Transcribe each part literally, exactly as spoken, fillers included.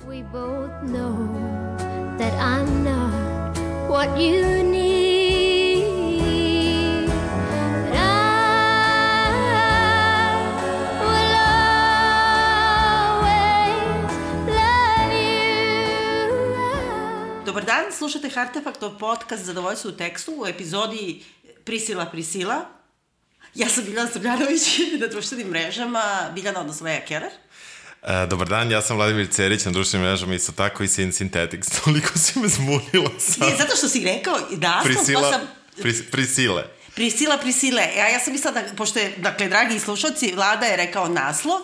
We both know that I'm not what you need, but I will always love you. Dobar dan, slušate Artefaktov podcast Zadovoljstvo u tekstu u epizodi Prisila, Prisila. Ja sam Biljana Srbljanović na društvenim mrežama, Biljana odnosno Leja Keller. E, dobar dan, ja sam Vladimir Cerić na društvenim mrežama, isto tako i Sin Synthetics. Toliko si me zbunila sad. Ne, zato što si rekao naslov, Prisila, pa sam... pris, prisile. Prisila, Prisile. Ja, ja sam mislila da, pošto je, dakle, dragi slušalci, Vlada je rekao naslov,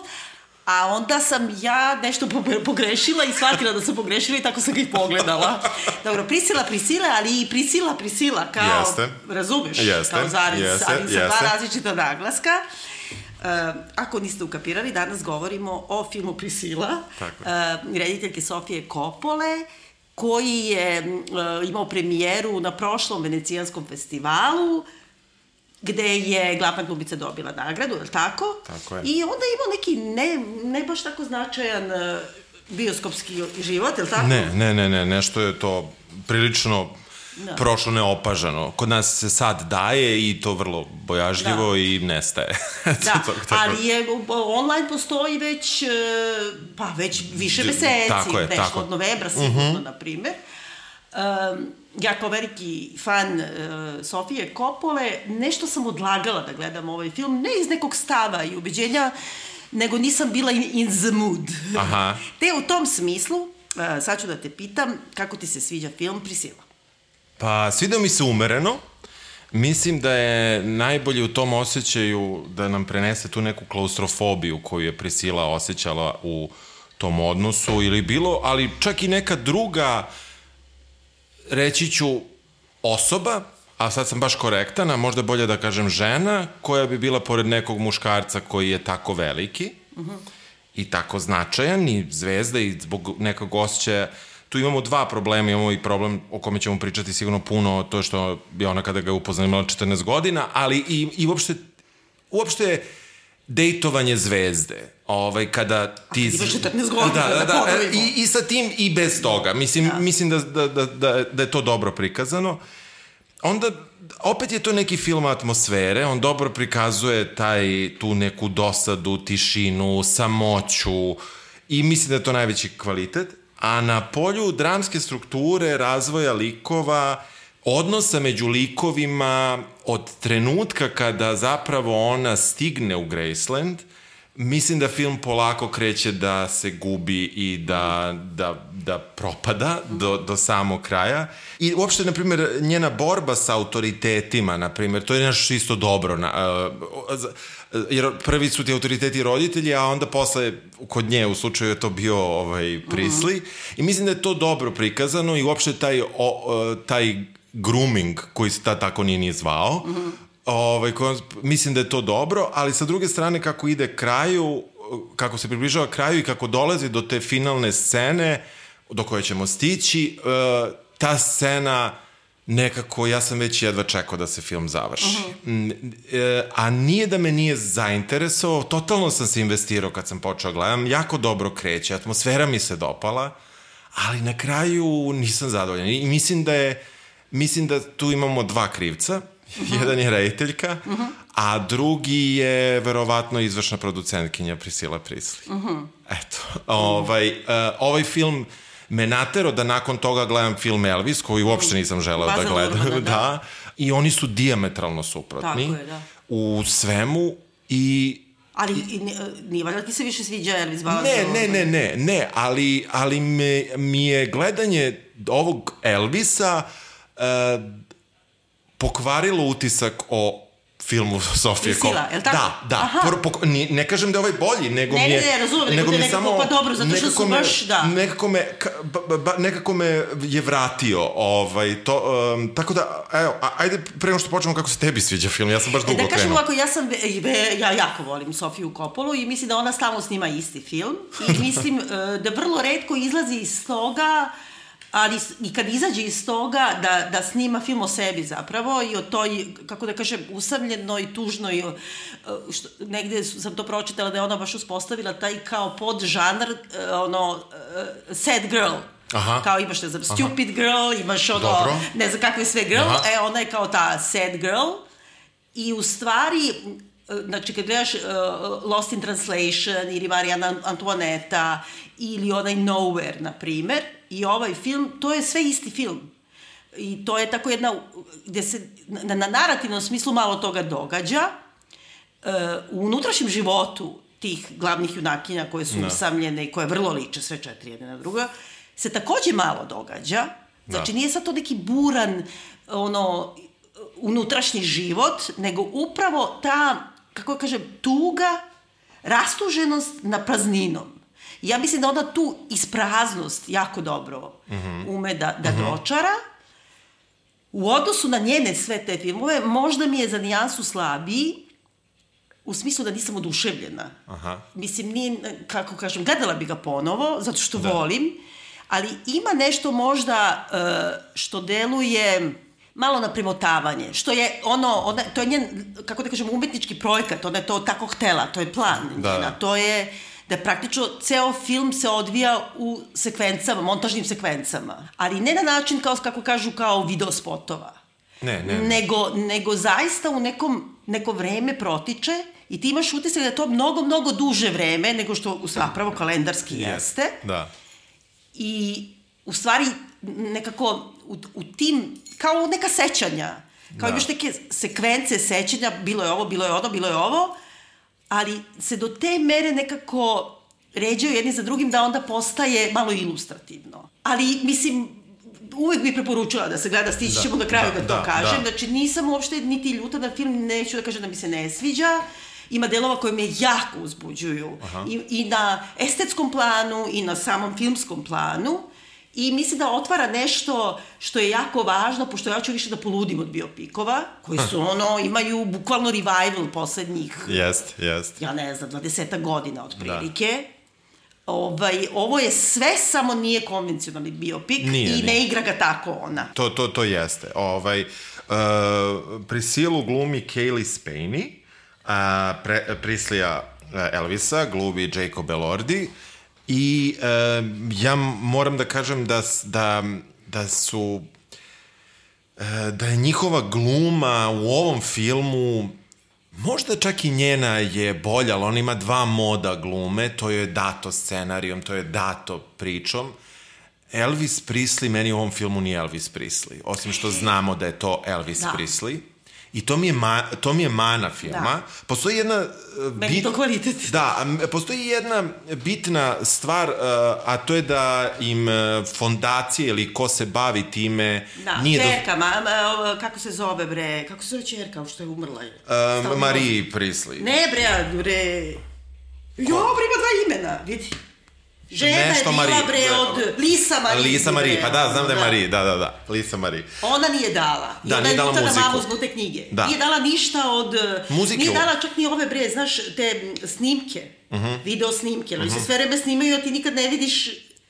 a onda sam ja nešto pogrešila i shvatila da sam pogrešila i tako sam ga i pogledala. Dobro, Prisila, Prisile, ali i Prisila, Prisila, kao, jeste. Razumeš? Jeste, kao zarez, jeste, ali sa jeste. dva različita naglaska. Uh, ako niste ukapirali, danas govorimo o filmu Prisila, uh, rediteljke Sofije Coppole, koji je uh, imao premijeru na prošlom Venecijanskom festivalu, gde je Glavna glumica dobila nagradu, je li tako? Tako je. I onda je imao neki ne, ne baš tako značajan uh, bioskopski život, je li tako? Ne, ne, ne, ne, nešto je to prilično da. prošlo neopažano. Kod nas se sad daje i to vrlo bojažljivo da. i nestaje. Da, ali je, online postoji već, pa već više meseci, tako je, nešto tako. od novembra sigurno, uh-huh. na primer. Um, ja kao veliki fan uh, Sofije Coppole, nešto sam odlagala da gledam ovaj film, ne iz nekog stava i ubeđenja, nego nisam bila in, in the mood. Aha. Te u tom smislu, uh, sad ću da te pitam, kako ti se sviđa film Prisila? Pa, svidao mi se umereno. Mislim da je najbolje u tom osjećaju da nam prenese tu neku klaustrofobiju koju je Prisila osjećala u tom odnosu ili bilo, ali čak i neka druga, reći ću, osoba, a sad sam baš korektan, a možda bolje da kažem žena, koja bi bila pored nekog muškarca koji je tako veliki uh-huh. i tako značajan i zvezda i zbog nekog osjećaja. Tu imamo dva problema, imamo i problem o kome ćemo pričati sigurno puno, to što je ona kada ga je upoznala imala četrnaest godina, ali i, i uopšte, uopšte dejtovanje zvezde. Ovaj, kada ti... A kad imaš četrnaest godina, da, da, da, da, i, i sa tim i bez toga. Mislim, da. mislim da, da, da, da, da je to dobro prikazano. Onda, opet je to neki film atmosfere, on dobro prikazuje taj, tu neku dosadu, tišinu, samoću i mislim da je to najveći kvalitet. A na polju dramske strukture, razvoja likova, odnosa među likovima, od trenutka kada zapravo ona stigne u Graceland, mislim da film polako kreće da se gubi i da, da, da propada do, do samog kraja. I uopšte, na primjer, njena borba sa autoritetima, na primjer, to je nešto isto dobro. Na, uh, jer prvi su ti autoriteti roditelji, a onda posle kod nje u slučaju je to bio ovaj, Prisli. Mm-hmm. I mislim da je to dobro prikazano i uopšte taj, o, taj grooming koji se ta tako nije ni zvao, mm-hmm. Ovaj, ko, mislim da je to dobro, ali sa druge strane kako ide kraju, kako se približava kraju i kako dolazi do te finalne scene do koje ćemo stići, uh, ta scena nekako, ja sam već jedva čekao da se film završi. Uh-huh. E, a nije da me nije zainteresovao, totalno sam se investirao kad sam počeo gledam, jako dobro kreće, atmosfera mi se dopala, ali na kraju nisam zadovoljan. I mislim da je, mislim da tu imamo dva krivca. Uh-huh. Jedan je rediteljka, uh-huh. a drugi je verovatno izvršna producentkinja Prisila Prisli. Uh-huh. Eto, ovaj, uh, ovaj film me natero da nakon toga gledam film Elvis, koji uopšte nisam želeo da gledam. Da, da. da. I oni su dijametralno suprotni. Tako je, da. U svemu i... Ali nije valjda ti se više sviđa Elvis Bazo? Ne, ne, ne, ne, ne, ali, ali me, mi je gledanje ovog Elvisa... Uh, pokvarilo utisak o filmu Sofije Coppole. Prisila, je li tako? Da, da. Por, pok, ne, ne kažem da je ovaj bolji, nego ne, mi je... Ne, ne, razumem, nego, nego mi je nekako pa dobro, zato što su me, baš, da. Nekako me, ba, ba, nekako me je vratio, ovaj, to, um, tako da, evo, ajde, prema što počnemo kako se tebi sviđa film, ja sam baš dugo krenuo. Da kažem ovako, ja sam, ja jako volim Sofiju Coppolu i mislim da ona stalno snima isti film i mislim da vrlo retko izlazi iz toga, ali i kad izađe iz toga da, da snima film o sebi zapravo i o toj, kako da kažem, usamljenoj, tužnoj, što, negde sam to pročitala da je ona baš uspostavila taj kao podžanr, ono, uh, sad girl. Aha. Kao imaš, ne znam, stupid Aha. girl, imaš ono, Dobro. ne znam kakve sve girl, Aha. e, ona je kao ta sad girl. I u stvari, znači kad gledaš uh, Lost in Translation ili Marijana Antoaneta ili onaj Nowhere, na primer, i ovaj film, to je sve isti film. I to je tako jedna, gde se na, na narativnom smislu malo toga događa. Uh, u unutrašnjem životu tih glavnih junakinja koje su no. usamljene i koje vrlo liče sve četiri jedne na druga, se takođe malo događa. Znači, da. nije sad to neki buran, ono, unutrašnji život, nego upravo ta, kako kažem, tuga, rastuženost na prazninom. I ja mislim da ona tu ispraznost jako dobro mm-hmm. ume da, da mm-hmm. dočara. U odnosu na njene sve te filmove, možda mi je za nijansu slabiji, u smislu da nisam oduševljena. Aha. Mislim, nije, kako kažem, gledala bi ga ponovo, zato što da. volim, ali ima nešto možda uh, što deluje malo na primotavanje, što je ono, ona, to je njen, kako da kažem, umetnički projekat, ona je to tako htela, to je plan da. njena, to je da praktično ceo film se odvija u sekvencama, montažnim sekvencama, ali ne na način kao, kako kažu, kao video spotova. Ne, ne, ne. Nego, nego zaista u nekom, neko vreme protiče i ti imaš utisak da je to mnogo, mnogo duže vreme nego što zapravo kalendarski jeste. Da. I u stvari nekako u, u tim, kao neka sećanja, kao da. imaš neke sekvence sećanja, bilo je ovo, bilo je ono, bilo je ovo, ali se do te mere nekako ređaju jedni za drugim da onda postaje malo ilustrativno. Ali, mislim, uvek bih preporučila da se gleda, stići da, ćemo na kraju da, da to da, kažem. Da. Znači, nisam uopšte niti ljuta na film, neću da kažem da mi se ne sviđa. Ima delova koje me jako uzbuđuju. I, i na estetskom planu, i na samom filmskom planu. I mislim da otvara nešto što je jako važno, pošto ja ću više da poludim od biopikova, koji su ono, imaju bukvalno revival poslednjih, jest, jest. ja ne znam, dvadesetak godina otprilike. Da. Ovaj, ovo je sve, samo nije konvencionalni biopik nije, i nije. Ne igra ga tako ona. To, to, to jeste. Ovaj, uh, Prisilu glumi Cailee Spaeny, a pre, Prislija Elvisa glumi Jacob Elordi. I e, ja moram da kažem da, da, da su e, da je njihova gluma u ovom filmu možda čak i njena je bolja, ali ona ima dva moda glume, to je dato scenarijom, to je dato pričom. Elvis Presley meni u ovom filmu nije Elvis Presley, osim što znamo da je to Elvis da. Presley. I to mi je, ma, to mi je mana filma. Da. Postoji jedna... Meni bit, to kvalitet. Da, postoji jedna bitna stvar, a to je da im fondacije ili ko se bavi time... Da, nije čerka, do... ma, kako se zove, bre? Kako se zove čerka, što je umrla? Uh, Marie Presley. Ne, bre, bre... Jo, bre, ima dva imena, vidi. Žena Nešto je bila, Marie, bre, od Lisa Marie. Lisa Marie, pa da, znam da je Marie, da, da, da, Lisa Marie. Ona nije dala. Da, I nije dala muziku. Na mamu zbog te knjige. Da. Nije dala ništa od... Muzike. Nije dala čak ni ove, bre, znaš, te snimke, uh-huh. video snimke, ali uh-huh. se sve vreme snimaju, a ti nikad ne vidiš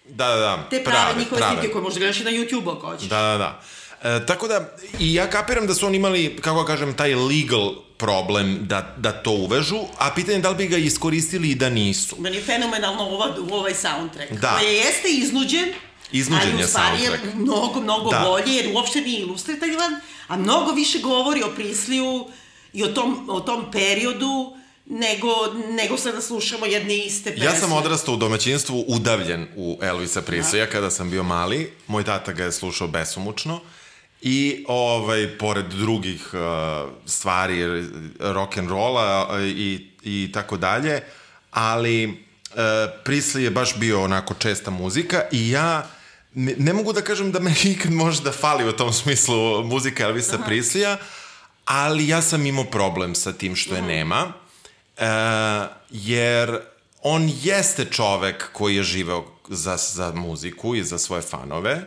da, da, da. te prave, prave njihove prave. snimke koje možda gledaš i na YouTube-u ako hoćeš. Da, da, da. E, tako da, i ja kapiram da su oni imali, kako kažem, taj legal problem da, da to uvežu, a pitanje je da li bi ga iskoristili i da nisu. Meni je fenomenalno ova, ovaj soundtrack, da. koji jeste iznuđen, iznuđen ali u stvari je mnogo, mnogo da. bolje, jer uopšte nije ilustrativan, a mnogo više govori o Prisliju i o tom, o tom periodu, nego, nego sad da slušamo jedne iste pesme. Ja sam odrastao u domaćinstvu udavljen u Elvisa Preslija kada sam bio mali. Moj tata ga je slušao besomučno. I, ovaj, pored drugih uh, stvari, rock'n'rolla i, i tako dalje, ali uh, Presley je baš bio onako česta muzika i ja ne, ne mogu da kažem da me nikad možda fali u tom smislu muzika Elvisa Aha. Presleya, ali ja sam imao problem sa tim što je nema, uh, jer on jeste čovek koji je živeo za, za muziku i za svoje fanove,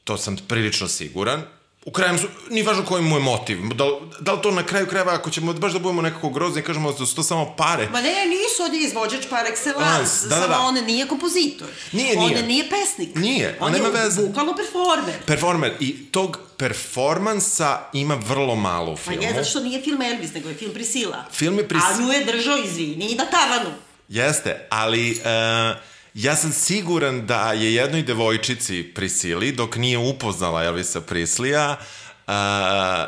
to sam prilično siguran. U kraju, nije važno koji mu je motiv. Da, da li to na kraju krajeva, ako ćemo baš da budemo nekako grozni i kažemo da su to samo pare. Ma ne, nisu, on je izvođač par excellence. Da, da, da. Samo on nije kompozitor. Nije, nije. On nije pesnik. Nije. On, on je veze. Bukvalno performer. Performer. I tog performansa ima vrlo malo u filmu. Pa je, zato što nije film Elvis, nego je film Priscilla. Film je Priscilla. A nju je držao, izvini, i na tavanu. Jeste, ali... Uh, ja sam siguran da je jednoj devojčici Prisili, dok nije upoznala Elvisa Preslija, Uh,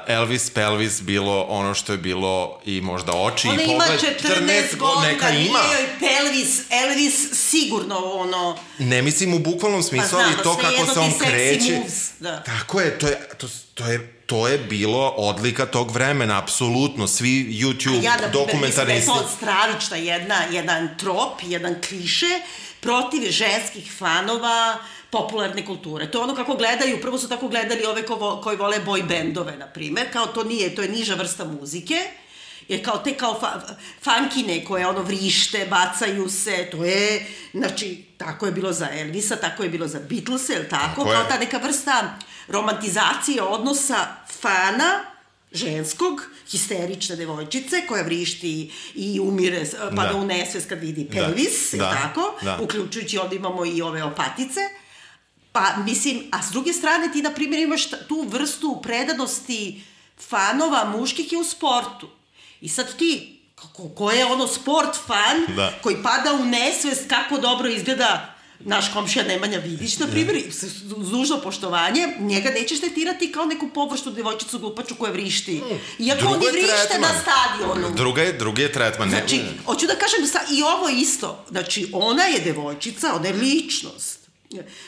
Elvis Pelvis bilo ono što je bilo i možda oči ona i pogled. Ona ima četrnaest godina, neka ima. Nije joj Pelvis, Elvis sigurno ono... Ne mislim u bukvalnom smislu, pa ali to kako se on kreće. Da. Tako je, to je, to, to je to je bilo odlika tog vremena, apsolutno, svi YouTube ja, da, dokumentaristi. Mislim da je to stravična jedna, jedan trop, jedan kliše protiv ženskih fanova popularne kulture. To je ono kako gledaju, prvo su tako gledali ove ko vo, koji vole boy bandove, na primer, kao to nije, to je niža vrsta muzike, jer kao te kao fa, funkine koje ono vrište, bacaju se, to je, znači, tako je bilo za Elvisa, tako je bilo za Beatlese, je li tako? Tako kao ta neka vrsta romantizacije odnosa fana, ženskog, histerične devojčice koja vrišti i umire, pada da. u nesvest kad vidi Pelvis, da. je da. tako? Da. Uključujući ovdje imamo i ove opatice. Pa, mislim, a s druge strane ti, na primjer, imaš tu vrstu predanosti fanova muških je u sportu. I sad ti, ko, ko je ono sport fan, da. koji pada u nesvest kako dobro izgleda naš komšija Nemanja Vidić, na primjer, s dužno poštovanje, njega nećeš tretirati kao neku površnu devojčicu glupaču koja vrišti. Iako oni vrište na stadionu. Druga je, drugi je tretman. Znači, hoću da kažem, i ovo isto. Znači, ona je devojčica, ona je ličnost.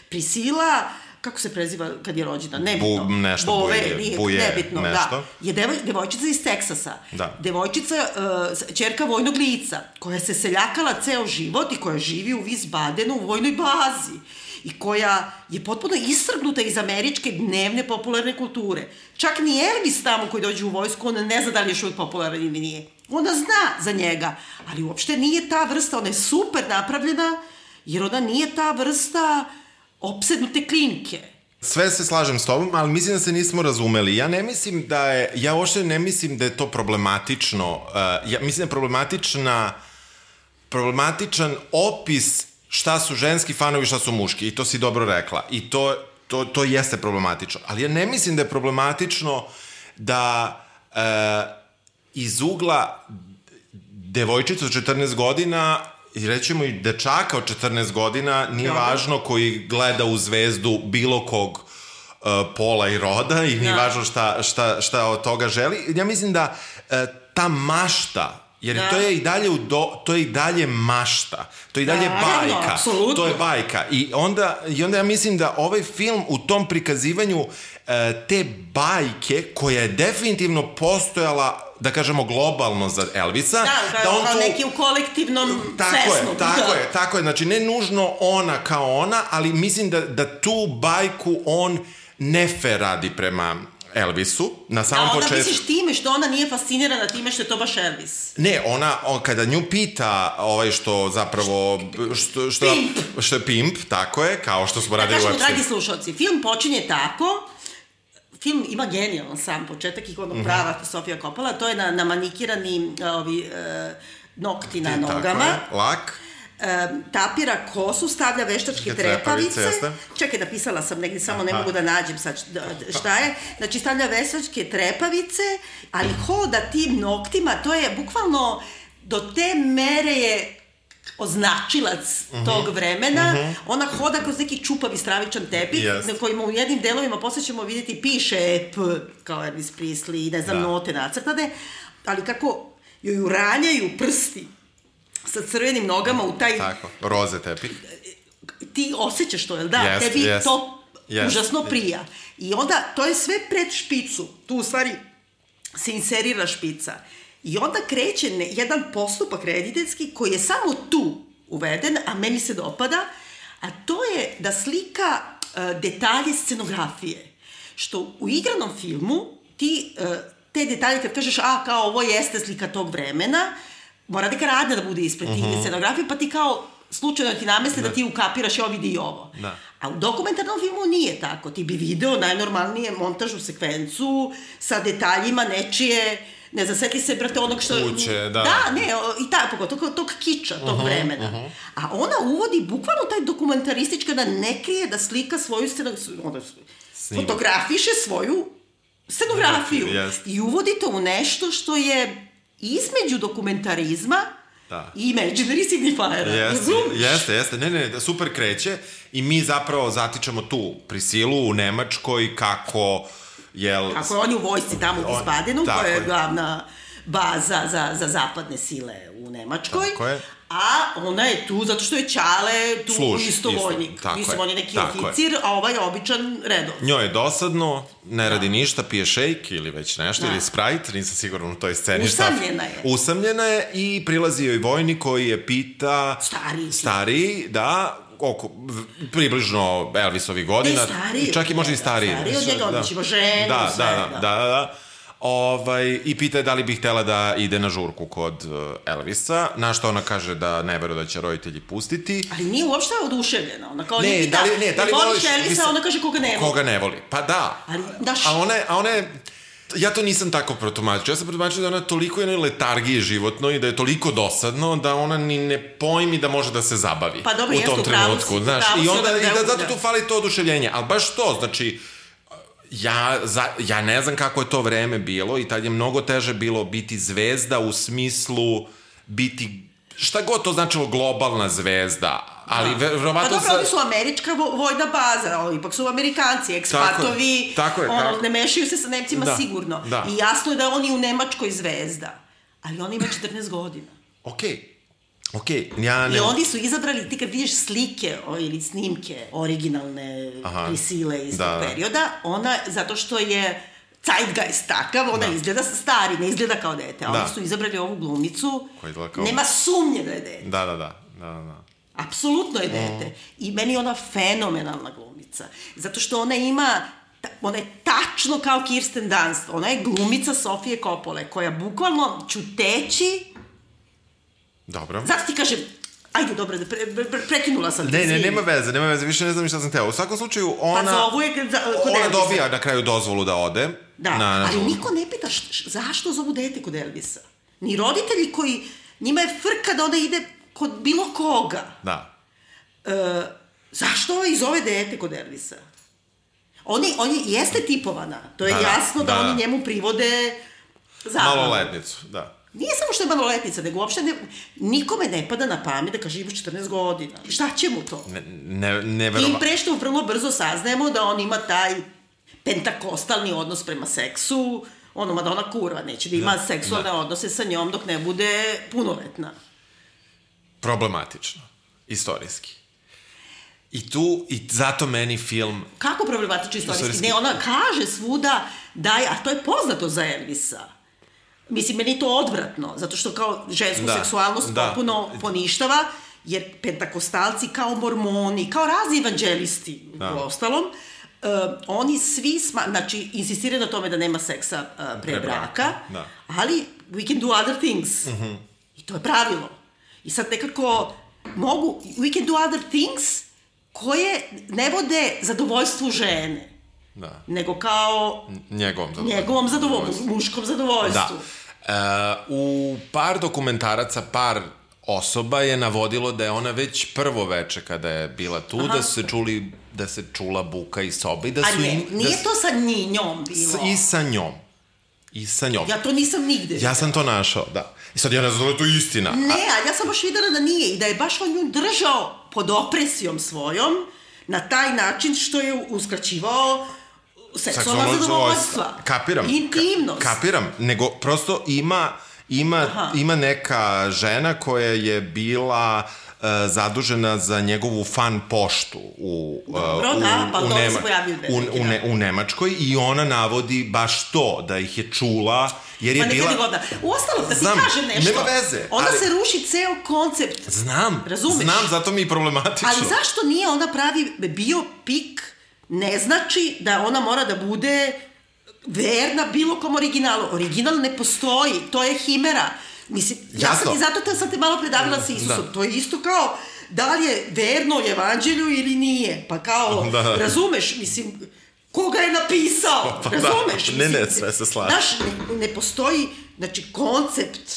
Prisila, kako se preziva kad je rođena? Nebitno. Bu, nešto Bove, buje, nije, buje nebitno, nešto. Da. Je devoj, devojčica iz Teksasa. Da. Devojčica, uh, ćerka vojnog lica, koja se seljakala ceo život i koja živi u Wiesbadenu u vojnoj bazi. I koja je potpuno isrgnuta iz američke dnevne popularne kulture. Čak ni Elvis tamo koji dođe u vojsku, ona ne zna da li je još uvijek popularan ili nije. Ona zna za njega, ali uopšte nije ta vrsta, ona je super napravljena, jer ona nije ta vrsta opsednute klinke. Sve se slažem s tobom, ali mislim da se nismo razumeli. Ja ne mislim da je, ja uopšte ne mislim da je to problematično. Uh, ja mislim da je problematična, problematičan opis šta su ženski fanovi, šta su muški. I to si dobro rekla. I to, to, to jeste problematično. Ali ja ne mislim da je problematično da uh, iz ugla devojčica od četrnaest godina i rećemo i dečaka od četrnaest godina, nije Dobre. važno koji gleda u zvezdu bilo kog uh, pola i roda i nije da. važno šta, šta, šta od toga želi. Ja mislim da uh, ta mašta, jer da. to je i dalje u do, to je i dalje mašta, to je i dalje da, bajka, apsolutno. To je bajka. I onda, i onda ja mislim da ovaj film u tom prikazivanju uh, te bajke, koja je definitivno postojala, da kažemo globalno za Elvisa. Da, da, da on kao tu, neki u kolektivnom tako svesnu. Je, tako da. je, tako je. Znači, ne nužno ona kao ona, ali mislim da, da tu bajku on nefer radi prema Elvisu, na samom početku. A onda misliš time što ona nije fascinirana time što je to baš Elvis? Ne, ona, on, kada nju pita ovaj što zapravo, što, što, pimp. što je pimp, tako je, kao što smo da radili u kažemo, dragi slušalci, film počinje tako. Film ima genijalan sam početak i kod mm-hmm. prava Sofia Coppola, to je na, na manikirani ovi, e, nokti na nogama. Tako je, lak. E, tapira kosu, stavlja veštačke trepavice. trepavice Čekaj, napisala sam negdje, samo Aha. ne mogu da nađem sad šta je. Znači, stavlja veštačke trepavice, ali hoda tim noktima, to je bukvalno do te mere je označilac uh-huh. tog vremena, uh-huh. ona hoda kroz neki čupavi stravičan tepih, yes. na kojima u jednim delovima posle ćemo vidjeti piše P, kao Elvis Presley, ne znam, da. note nacrtane, ali kako joj uranjaju prsti sa crvenim nogama u taj... Tako, roze tepih. Ti osjećaš to, jel da? Yes, Tebi yes. to yes. užasno prija. I onda, to je sve pred špicu. Tu u stvari se inserira špica. I onda kreće ne, jedan postupak rediteljski koji je samo tu uveden, a meni se dopada, a to je da slika uh, detalje scenografije. Što u igranom filmu ti uh, te detalje kad kažeš, a kao ovo jeste slika tog vremena, mora neka radnja da bude ispred uh-huh. tih scenografije, pa ti kao slučajno ti namesle da. da ti ukapiraš, jo vidi i ovo. Da. A u dokumentarnom filmu nije tako. Ti bi video najnormalnije montažnu sekvencu sa detaljima nečije, ne znam, sveti se, brate, onog što... Kuće, da. Da, ne, i tako, pogotovo tog kiča, tog uh-huh, vremena. Uh-huh. A ona uvodi bukvalno taj dokumentaristički, da ne krije da slika svoju scenografiju, onda fotografiše svoju scenografiju. Yes. I uvodi to u nešto što je između dokumentarizma Da. I imaginary signifier. Jeste, jeste, jeste. Ne, ne, super kreće i mi zapravo zatičemo tu Prisilu u Nemačkoj kako, jel... Kako je on je u vojsci tamo u Wiesbadenu, koja je glavna baza za, za zapadne sile u Nemačkoj. Tako je. A ona je tu zato što je Ćale tu Služi, isto vojnik. Isto, Mislim, je, on je neki oficir, je. A ovaj je običan redov. Njoj je dosadno, ne radi da. ništa, pije šejk ili već nešto, da. ili Sprite, nisam siguran u toj sceni. Usamljena je. Usamljena je i prilazi joj vojnik koji je pita... Stariji. Stariji, da... oko, približno Elvisovi godina. Ne, stariji. Čak i možda i stariji. Stariji od njega, odličimo ženu, da, sve. Da, da, da, da. Ovaj, i pita je da li bi htela da ide na žurku kod Elvisa, na što ona kaže da ne veruje da će roditelji pustiti. Ali nije uopšte oduševljena. Ona kao ne, ne pita, da li, ne, da li voliš Elvisa, ona kaže koga ne voli. Koga ne voli, pa da. Ali, daš... A ona, a ona je... Ja to nisam tako protumačio. Ja sam protumačio da ona toliko jednoj letargiji životno i da je toliko dosadno da ona ni ne pojmi da može da se zabavi pa, dobro, u tom trenutku. Znaš, i onda da, i da zato tu fali to oduševljenje. Ali baš to, znači, ja, za, ja ne znam kako je to vreme bilo i tad je mnogo teže bilo biti zvezda u smislu biti, šta god to značilo, globalna zvezda. Ali da. verovatno... Pa dobro, oni su američka vojna baza, oni ipak su Amerikanci, ekspatovi, tako je, tako je, ono, ne mešaju se sa Nemcima da, sigurno. Da. I jasno je da on je u Nemačkoj zvezda. Ali on ima četrnaest godina. Okej. Okay. Okay, ja ne... I oni su izabrali, ti kad vidiš slike o, ili snimke originalne Prisile iz da. tog perioda, ona, zato što je zeitgeist takav, ona da. izgleda stari, ne izgleda kao dete. A da. oni su izabrali ovu glumicu, kao... nema sumnje da je dete. Da, da, da. da, da. Apsolutno je dete. Mm. I meni je ona fenomenalna glumica. Zato što ona ima, ona je tačno kao Kirsten Dunst. Ona je glumica Sofije Coppole, koja bukvalno čuteći... Dobro. Zato ti kažem, ajde, dobro, pre, pre, prekinula sam te. Ne, ne, nema veze, nema veze, više ne znam šta sam teo. U svakom slučaju, ona... Pa zovu je... Za, ona dobija na kraju dozvolu da ode. Da, na, na ali niko ne pita š, zašto zovu dete kod Elvisa. Ni roditelji koji... Njima je frka da ona ide kod bilo koga. Da. E, zašto ovaj zove dete kod Elvisa? Oni, on je, jeste tipovana. To je da, jasno da, da oni njemu privode zabavu. Maloletnicu, da. Nije samo što je maloletnica, nego uopšte ne, nikome ne pada na pamet da kaže imaš četrnaest godina. Šta će mu to? Ne, ne, ne verova... Tim pre što vrlo brzo saznajemo da on ima taj pentakostalni odnos prema seksu, ono, Madonna kurva, neće da ima da, seksualne da. odnose sa njom dok ne bude punoletna. Problematično. Istorijski. I tu, i zato meni film... Kako problematično istorijski? istorijski? Ne, ona kaže svuda da je, a to je poznato za Elvisa. Mislim, meni je to odvratno, zato što kao žensku da, seksualnost da. popuno poništava, jer pentakostalci kao mormoni, kao razni evanđelisti da. u ostalom, uh, oni svi, sma, znači, insistiraju na tome da nema seksa uh, pre, pre braka, da. ali we can do other things. Uh-huh. I to je pravilo. I sad nekako mogu, we can do other things koje ne vode zadovoljstvu žene. Da. Nego kao njegovom zadovoljstvu. Njegovom zadovoljstvu, muškom zadovoljstvu. Da. Uh, u par dokumentaraca, par osoba je navodilo da je ona već prvo veče kada je bila tu, Aha. da su se čuli, da se čula buka iz sobe. Da su A ne, im, nije da to sa njom bilo? I sa njom. I sa njom. Ja to nisam nigde. Ja sam to našao, da. I sad ja ne znam da je to istina. Ne, a ja sam baš videla da nije i da je baš on nju držao pod opresijom svojom na taj način što je uskraćivao seksualna zadovoljstva. Kapiram. Intimnost. Ka, kapiram, nego prosto ima, ima, ima neka žena koja je bila uh, zadužena za njegovu fan poštu u, uh, Dobro, u, da, pa u, Nema, u, u, ne, u Nemačkoj i ona navodi baš to, da ih je čula, jer je pa bila... Godina. Uostalom, da ti znam, kažem nešto, nema veze, onda ali... se ruši ceo koncept. Znam, Razumeš? znam, zato mi je problematično. Ali zašto nije ona pravi biopik? Ne znači da ona mora da bude verna bilo kom originalu. Original ne postoji, to je himera. Mislim, ja sam ti zato te, sam te malo predavila sa Isusom. Da. To je isto kao da li je verno evanđelju ili nije. Pa kao, da. razumeš, mislim, koga je napisao, pa, razumeš? Da. Ne, ne, sve se slaže. Znaš, ne, ne postoji, znači, koncept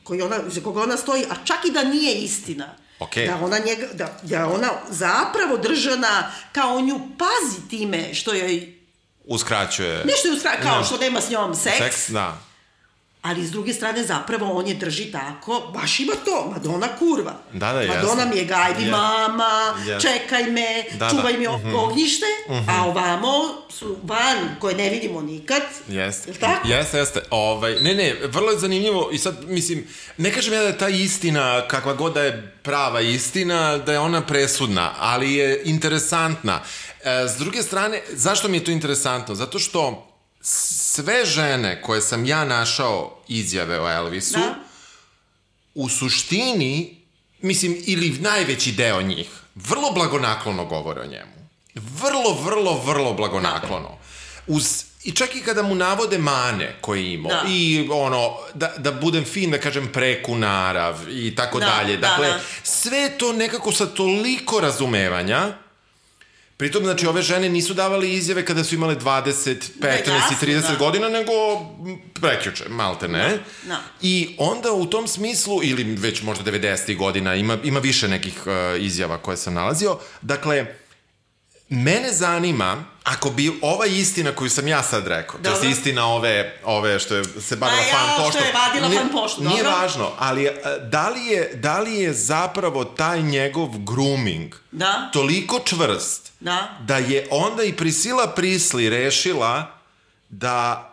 koji ona, za koga ona stoji, a čak i da nije istina. Okay. Da ona njega, da, da ona zapravo držana kao nju pazi time što joj uskraćuje nešto je uskraćuje, kao ne. što nema s njom seks, seks da. ali s druge strane zapravo on je drži tako, baš ima to, Madonna kurva. Da, da, jasno. Madonna mi je gajbi Yes. mama, Yes. čekaj me, Da, čuvaj da. mi Mhm. ognjište, a ovamo su van koje ne vidimo nikad. Jeste. Je li tako? Jeste, jeste. Ovaj, ne, ne, vrlo je zanimljivo i sad, mislim, ne kažem ja da je ta istina, kakva god da je prava istina, da je ona presudna, ali je interesantna. E, s druge strane, zašto mi je to interesantno? Zato što sve žene koje sam ja našao izjave o Elvisu, Da. u suštini, mislim, ili najveći deo njih, vrlo blagonaklono govore o njemu. Vrlo, vrlo, vrlo blagonaklono. Uz, i čak i kada mu navode mane koje je imao, Da. i ono, da, da budem fin, da kažem preku narav i tako Da, dalje. da, Dakle, da. sve to nekako sa toliko razumevanja. Pritom, znači, ove žene nisu davali izjave kada su imale dvadeset, petnaest i jasno, trideset da. godina, nego prekjuče, malte ne. Da, da. I onda u tom smislu, ili već možda devedesetih godina, ima, ima više nekih uh, izjava koje sam nalazio. Dakle, mene zanima, ako bi ova istina koju sam ja sad rekao, to Dobro. je istina ove, ove što je se bavila A ja, fan što poštom. je vadila nije- fan poštu, Nije dobro. važno, ali uh, da li, je, da li je zapravo taj njegov grooming Da. toliko čvrst Da. da je onda i Priscilla Presley rešila da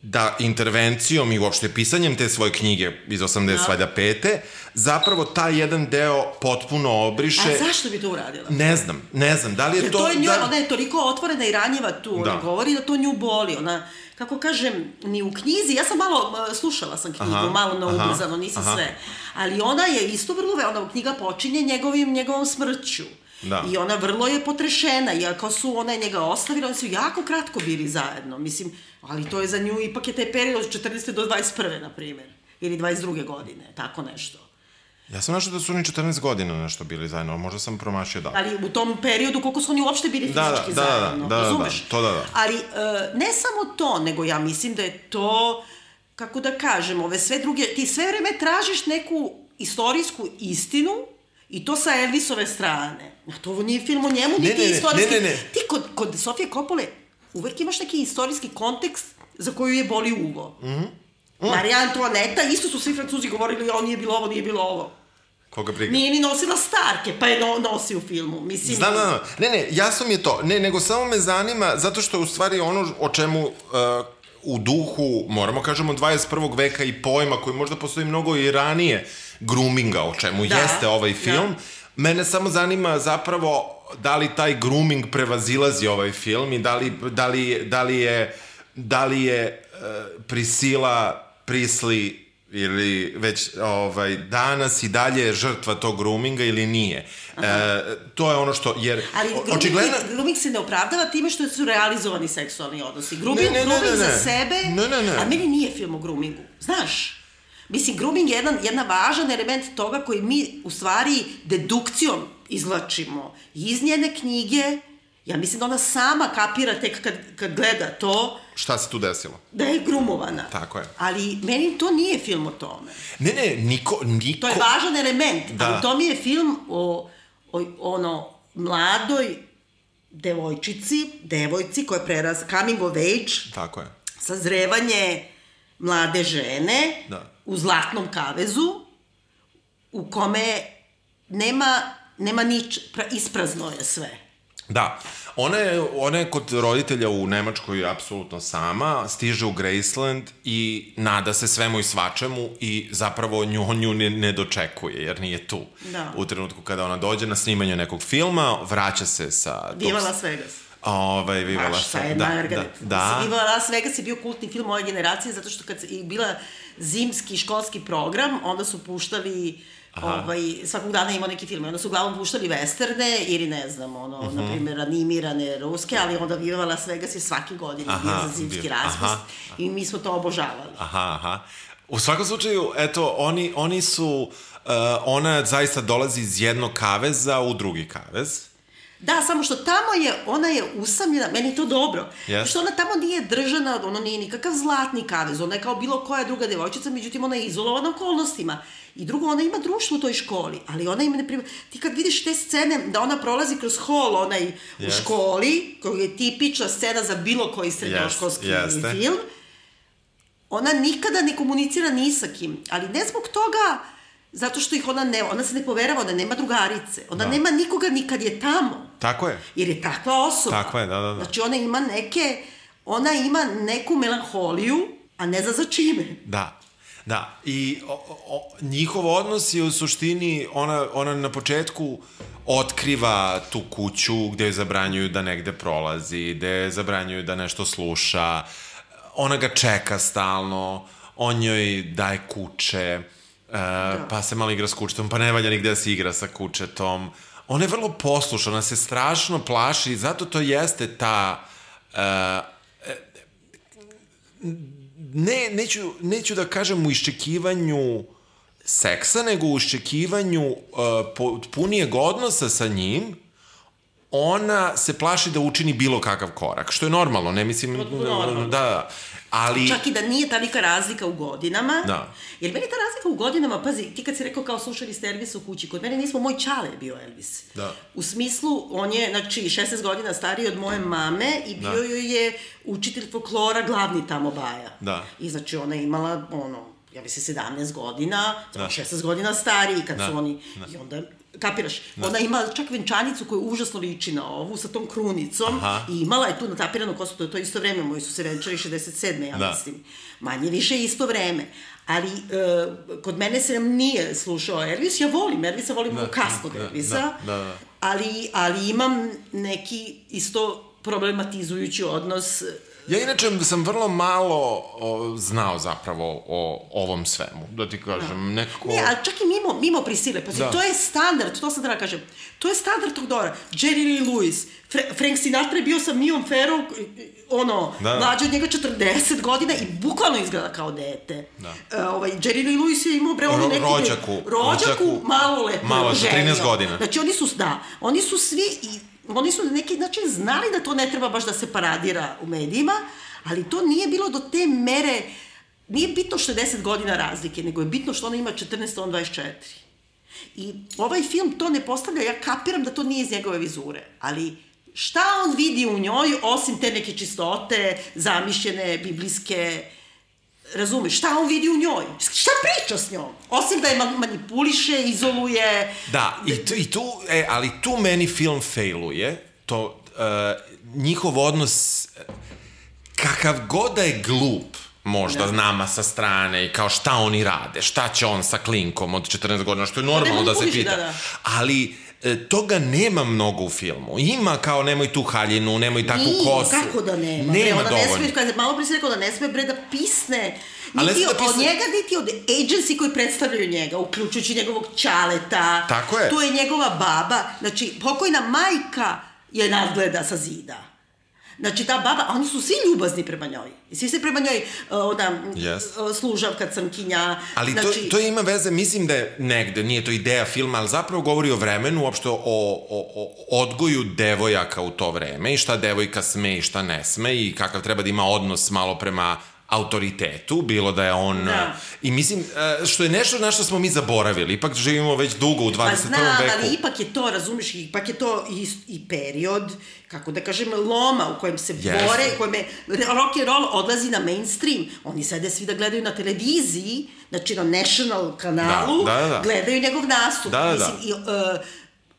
da intervencijom i uopšte pisanjem te svoje knjige iz osamdeset pete zapravo taj jedan deo potpuno obriše. A zašto bi to uradila? Ne znam, ne znam, da li je Jer to... to je njoj, da... ona je toliko otvorena i ranjiva tu, ona Da. govori da to nju boli, ona, kako kažem, ni u knjizi, ja sam malo, uh, slušala sam knjigu, Aha, malo na aha, ubrzano, nisam aha. sve, ali ona je isto vrlo, ve- ona knjiga počinje njegovim, njegovom smrću. Da. I ona vrlo je potrešena, iako su ona je njega ostavila, oni su jako kratko bili zajedno, mislim, ali to je za nju, ipak je taj period od četrnaeste do dvadeset prve, na primjer, ili dvadeset druge godine, tako nešto. Ja sam našao da su oni četrnaest godina nešto bili zajedno, možda sam promašio da. Ali u tom periodu koliko su oni uopšte bili Da, da, fizički da, da, zajedno, da, da, razumeš? da, to da, da. Ali e, ne samo to, nego ja mislim da je to, kako da kažem, ove sve druge, ti sve vreme tražiš neku istorijsku istinu i to sa Elvisove strane. A to nije film o njemu, Ne, niti ne, ne, istorijski. ne, ne, ne. Ti kod, kod Sofije Coppole uvek imaš neki istorijski kontekst za koju je boli uvo. Mm -hmm. Mm. Marija Antoaneta, isto su svi Francuzi govorili, o, nije bilo ovo, nije bilo ovo. Koga briga? Nije ni nosila starke, pa je no, nosi u filmu. Mislim, Znam, znam, znam. Ne, ne, jasno mi je to. Ne, nego samo me zanima, zato što je u stvari ono o čemu uh, u duhu, moramo kažemo, dvadeset prvog veka i pojma koji možda postoji mnogo i ranije groominga, o čemu Da, jeste ovaj film, da. mene samo zanima zapravo da li taj grooming prevazilazi ovaj film i da li, da li, da li je, da li je uh, Priscilla Presley ili već ovaj, danas i dalje žrtva tog groominga ili nije. E, to je ono što, jer Ali grooming, očigledno... grooming se ne opravdava time što su realizovani seksualni odnosi. Grooming, Ne, ne, ne, grooming ne, ne. za sebe, Ne, ne, ne. a meni nije film o groomingu. Znaš, mislim, grooming je jedan, jedan važan element toga koji mi u stvari dedukcijom izvlačimo iz njene knjige. Ja mislim da ona sama kapira tek kad, kad gleda to, Šta se tu desilo? da je grumovana. Tako je. Ali meni to nije film o tome. Ne, ne, niko... niko... To je važan element, Da. ali to mi je film o, o ono, mladoj devojčici, devojci koja je preraz, coming of age, Tako je. sazrevanje mlade žene Da. u zlatnom kavezu, u kome nema, nema nič, pra, isprazno je sve. Da. Ona je, ona je kod roditelja u Nemačkoj apsolutno sama, stiže u Graceland i nada se svemu i svačemu i zapravo nju, nju ne, ne dočekuje, jer nije tu. Da. U trenutku kada ona dođe na snimanje nekog filma, vraća se sa... tog- Viva Las Vegas. Ovaj, Viva Baš Las sa Vegas. Da, Margaret. da, da. Viva Las Vegas je bio kultni film moje generacije, zato što kad je bila zimski školski program, onda su puštali ovaj, svakog dana imao neki film. Onda su uglavnom puštali westerne ili ne znam, ono, uh-huh. na primjer, animirane ruske, ali onda Viva Las Vegas je svake godine Aha, bio za zimski bio. raspust Aha. i mi smo to obožavali. Aha, aha. U svakom slučaju, eto, oni, oni su, uh, ona zaista dolazi iz jednog kaveza u drugi kavez. Da, samo što tamo je, ona je usamljena, meni je to dobro, Yes. što ona tamo nije držana, ono nije nikakav zlatni kavez, ona je kao bilo koja druga devojčica, međutim ona je izolovana okolnostima. I drugo, ona ima društvo u toj školi, ali ona ima, ne primjer, ti kad vidiš te scene da ona prolazi kroz hol onaj yes. u Yes. školi, koja je tipična scena za bilo koji srednjoškolski Yes, jeste. film, ona nikada ne komunicira ni sa kim, ali ne zbog toga, zato što ih ona ne, ona se ne poverava, ona nema drugarice, ona da. nema nikoga ni kad je tamo. Tako je. Jer je takva osoba. Tako je, da, da, da. Znači ona ima neke, ona ima neku melanholiju, a ne zna za čime. Da. Da, i o, o, njihov odnos je u suštini, ona, ona na početku otkriva tu kuću gde joj zabranjuju da negde prolazi, gde joj zabranjuju da nešto sluša, ona ga čeka stalno, on joj daje kuće, uh, da. pa se malo igra s kućetom, pa ne valja nigde da se igra sa kućetom. Ona je vrlo poslušna, ona se strašno plaši i zato to jeste ta... Uh, Ne, neću, neću da kažem u iščekivanju seksa, nego u iščekivanju uh, punijeg odnosa sa njim, ona se plaši da učini bilo kakav korak, što je normalno, ne mislim... Normalno. Da, ali... Čak i da nije talika razlika u godinama, da. Jer meni ta razlika u godinama, pazi, ti kad si rekao kao slušali ste Elvisa u kući, kod mene nismo, moj čale je bio Elvis. Da. U smislu, on je, znači, šesnaest godina stariji od moje mame i bio da. joj je učitelj folklora, glavni tamo baja. Da. I znači ona je imala, ono, ja bi se sedamnaest godina, da. šesnaest godina stariji kad da. su oni, da. i onda... Kapiraš, da. Ona ima čak venčanicu koja užasno liči na ovu, sa tom krunicom. Aha. I imala je tu natapiranu kosu, to je to isto vreme, moji su se venčali šezdeset sedme ja da. mislim. Manje više isto vreme. Ali uh, kod mene se nam nije slušao Elvis, ja volim Elvisa, volim da. kasnog da. Elvisa, da. Da. Da. Ali, ali imam neki isto problematizujući odnos. Ja inače sam vrlo malo o, znao zapravo o ovom svemu, da ti kažem, da. nekako... Ne, ali čak i mimo, mimo Prisile, pa da. to je standard, to sam da kažem, to je standard tog dobra. Jerry Lee Lewis, Fra- Frank Sinatra je bio sa Miom Farrow, ono, da. mlađe od njega četrdeset godina i bukvalno izgleda kao dete. Da. Uh, ovaj, Jerry Lee Lewis je imao bre ono neki... Rođaku. Rođaku, malo lepo. Malo, sa trinaest godina. Znači oni su, da, oni su svi... I, oni su na neki način znali da to ne treba baš da se paradira u medijima, ali to nije bilo do te mere, nije bitno što je deset godina razlike, nego je bitno što ona ima četrnaest, on dvadeset četiri. I ovaj film to ne postavlja, ja kapiram da to nije iz njegove vizure, ali šta on vidi u njoj, osim te neke čistote, zamišljene, biblijske, razumeš, šta on vidi u njoj? Šta priča s njom? Osim da je manipuliše, izoluje... Da, i tu, i tu e, ali tu meni film failuje, to, uh, njihov odnos, kakav god da je glup, možda da. nama sa strane, i kao šta oni rade, šta će on sa klinkom od četrnaest godina, što je normalno da, da se pita. Da, da. Ali... toga nema mnogo u filmu. Ima kao nemoj tu haljinu, nemoj takvu Nije, kosu. Kako da nema? Nema bre, dovoljno. Ne sme, malo pre si rekao da ne sme bre da pisne. Niti od, da pisne... od njega, niti od agency koji predstavljaju njega, uključujući njegovog čaleta. Tako je. Tu je njegova baba. Znači, pokojna majka je nadgleda sa zida. Znači, ta baba, a oni su svi ljubazni prema njoj. I svi se prema njoj, ona, yes. služavka, crnkinja. Ali znači... to, to ima veze, mislim da je negde, nije to ideja filma, ali zapravo govori o vremenu, uopšte o, o, o odgoju devojaka u to vreme i šta devojka sme i šta ne sme i kakav treba da ima odnos malo prema autoritetu, bilo da je on... Da. I mislim, što je nešto na što smo mi zaboravili, ipak živimo već dugo u dvadeset prvom veku. Pa znam, ali ipak je to, razumiješ, ipak je to i, i period, kako da kažem, loma u kojem se yes. bore, u kojem je rock and roll odlazi na mainstream. Oni sede svi da gledaju na televiziji, znači na National kanalu, da, da, da. gledaju njegov nastup. Da, da, da. Mislim, i, uh,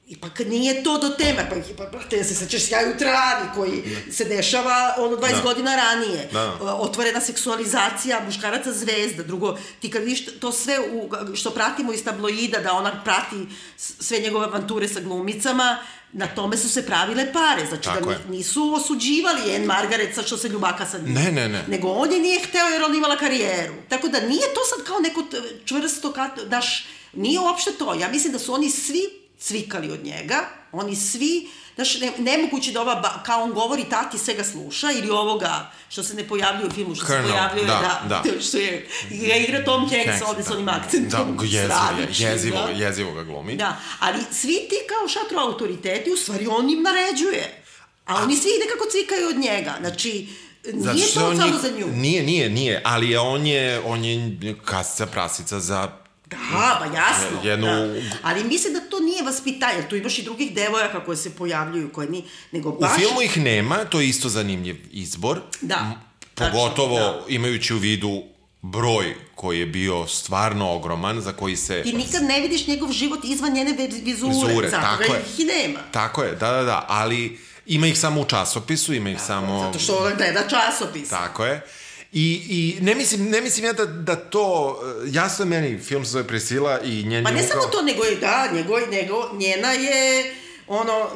ipak nije to do teme, pa, pa te se sećaš Sjaj u travi koji da. se dešava ono dvadeset da. godina ranije. Da. Otvorena seksualizacija muškaraca zvezda. Drugo, ti kad vidiš to sve u, što pratimo iz tabloida, da ona prati sve njegove avanture sa glumicama, na tome su se pravile pare. Znači Tako da je. nisu osuđivali Anne Margaret sa što se ljubaka sa njim. Ne, ne, ne. Nego on je nije hteo jer on imala karijeru. Tako da nije to sad kao neko čvrsto, daš, nije uopšte to. Ja mislim da su oni svi cvikali od njega, oni svi, znaš, ne, nemoguće da ova, ba, kao on govori, tati sve ga sluša, ili ovoga, što se ne pojavljuje u filmu, što Colonel, se pojavljuje, da, da, da. što je, ga igra Tom Hanks ovde s onim akcentom. Da, jezivo, jezivo, da. jezivo ga glumi. Da, ali svi ti kao šatro autoriteti, u stvari on im naređuje, a, a oni svi nekako cvikaju od njega, znači, nije to samo njih, za nju. Nije, nije, nije, ali on je, on je kasica prasica za... Da, ba jasno, jednu... da. Ali mislim da to nije vaspitanje, tu imaš i drugih devojaka koje se pojavljuju, koje ni, nego baš... U filmu ih nema, to je isto zanimljiv izbor. Da. Pogotovo tačno, da. Imajući u vidu broj koji je bio stvarno ogroman, za koji se... Ti nikad ne vidiš njegov život izvan njene vizure, vizure zato ga ih i nema. Tako je, da, da, da, ali ima ih samo u časopisu, ima ih tako, samo... Zato što ona gleda časopis. Tako je. I, i ne mislim, ne mislim ja da, da to, jasno je meni, film se zove Prisila i njen... Pa ne upravo... samo to, nego je, da, nego, nego, njena je... ono,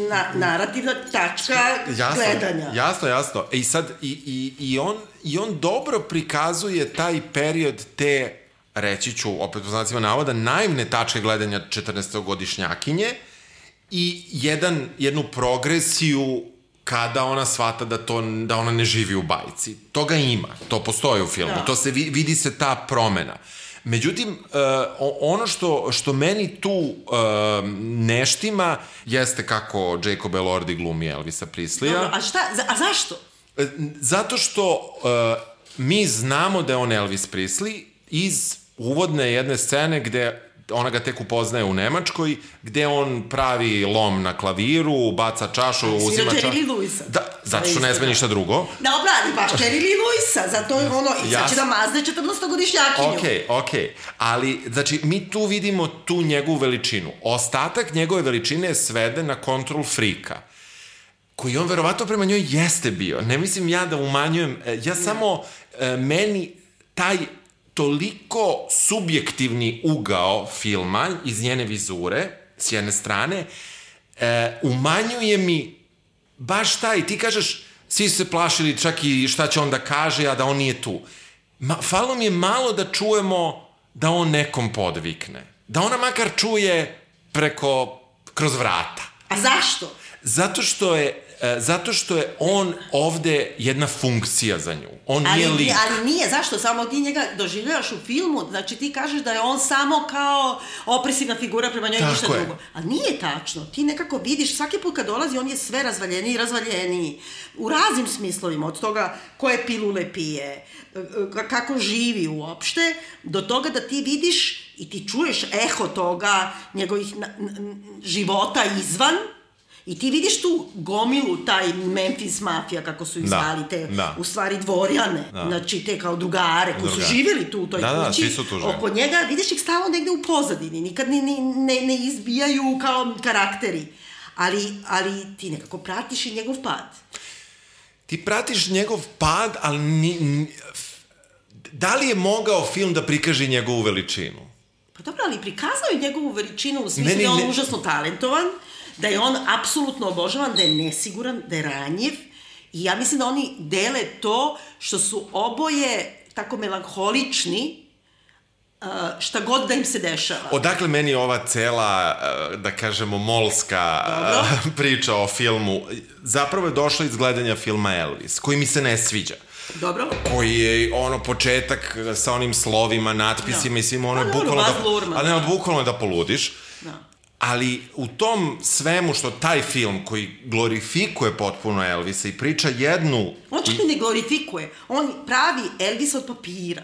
na, narativna tačka jasno, gledanja. Jasno, jasno. I sad, i, i, i, on, i on dobro prikazuje taj period te, reći ću, opet u znacima navoda, naivne tačke gledanja četrnaestogodišnjakinje i jedan, jednu progresiju kada ona shvata da, to, da ona ne živi u bajci. Toga ima, to postoji u filmu, da. To se vidi se ta promena. Međutim, uh, ono što, što meni tu uh, neštima jeste kako Jacob Elordi glumi Elvisa Preslija. Dobro, a šta? A zašto? Zato što uh, mi znamo da je on Elvis Presley iz uvodne jedne scene gde ona ga tek upoznaje u Nemačkoj, gde on pravi lom na klaviru, baca čašu, uzima čašu. Svira Jerry Lewisa. Da, zato što ne sme ništa drugo. Da, obradi baš Jerry Lewisa, zato je ono, i sad će da mazne četrnaestogodišnjakinju. Okej, okay, okej, okay. Ali, znači, mi tu vidimo tu njegovu veličinu. Ostatak njegove veličine je sveden na control freaka, koji on verovatno prema njoj jeste bio. Ne mislim ja da umanjujem, ja samo, meni taj toliko subjektivni ugao filma iz njene vizure, s jedne strane, e, umanjuje mi baš taj, ti kažeš, svi su se plašili čak i šta će on da kaže, a da on nije tu. Ma, falo mi je malo da čujemo da on nekom podvikne. Da ona makar čuje preko, kroz vrata. A zašto? Zato što je Zato što je on ovde jedna funkcija za nju. On ali, nije lik. Ali nije, zašto? Samo ti njega doživljavaš u filmu, znači ti kažeš da je on samo kao opresivna figura prema njoj, ništa drugo. A nije tačno. Ti nekako vidiš, svaki put kad dolazi, on je sve razvaljeniji i razvaljeniji. U raznim smislovima, od toga koje pilule pije, kako živi uopšte, do toga da ti vidiš i ti čuješ eho toga njegovih na, na, života izvan. I ti vidiš tu gomilu, taj Memphis mafija, kako su ih zvali, te, da. U stvari dvorjane, da. Znači te kao drugare, koji Druga. Su živjeli tu u toj da, kući, da, oko njega, vidiš ih stalno negde u pozadini, nikad ne, ne, ne izbijaju kao karakteri, ali, ali ti nekako pratiš i njegov pad. Ti pratiš njegov pad, ali ni, ni, da li je mogao film da prikaže njegovu veličinu? Pa dobro, ali prikazao je njegovu veličinu u smislu da je on ne... užasno talentovan, da je on apsolutno obožavan, da je nesiguran, da je ranjiv i ja mislim da oni dele to što su oboje tako melanholični šta god da im se dešava. Odakle meni ova cela, da kažemo, molska Dobro. Priča o filmu, zapravo je došla iz gledanja filma Elvis, koji mi se ne sviđa. Dobro. Koji je ono početak sa onim slovima, natpisima no. I svim ono je pa, bukvalno da, ali ne, bukvalno da poludiš. Da. Ali u tom svemu što taj film koji glorifikuje potpuno Elvisa i priča jednu... On čak i ne glorifikuje. On pravi Elvisa od papira.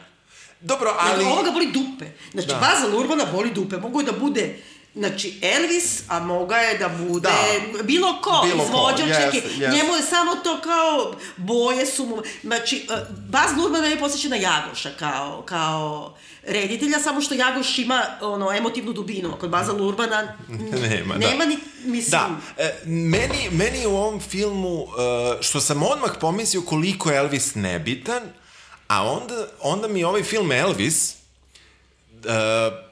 Dobro, ali... Ovoga boli dupe. Znači, da. Baza Luhrmanna boli dupe. Mogu je da bude... Znači, Elvis, a moga je da bude da. Bilo ko, bilo izvođač, yes, yes. Njemu je samo to kao, boje su mu, znači, Baz Luhrmann me posjeća na Jagoša kao, kao reditelja, samo što Jagoš ima ono, emotivnu dubinu, kod Baza Luhrmanna nema, nema da. Ni, mislim... Da, e, meni, meni u ovom filmu, što sam odmah pomislio koliko je Elvis nebitan, a onda, onda mi ovaj film Elvis... Uh,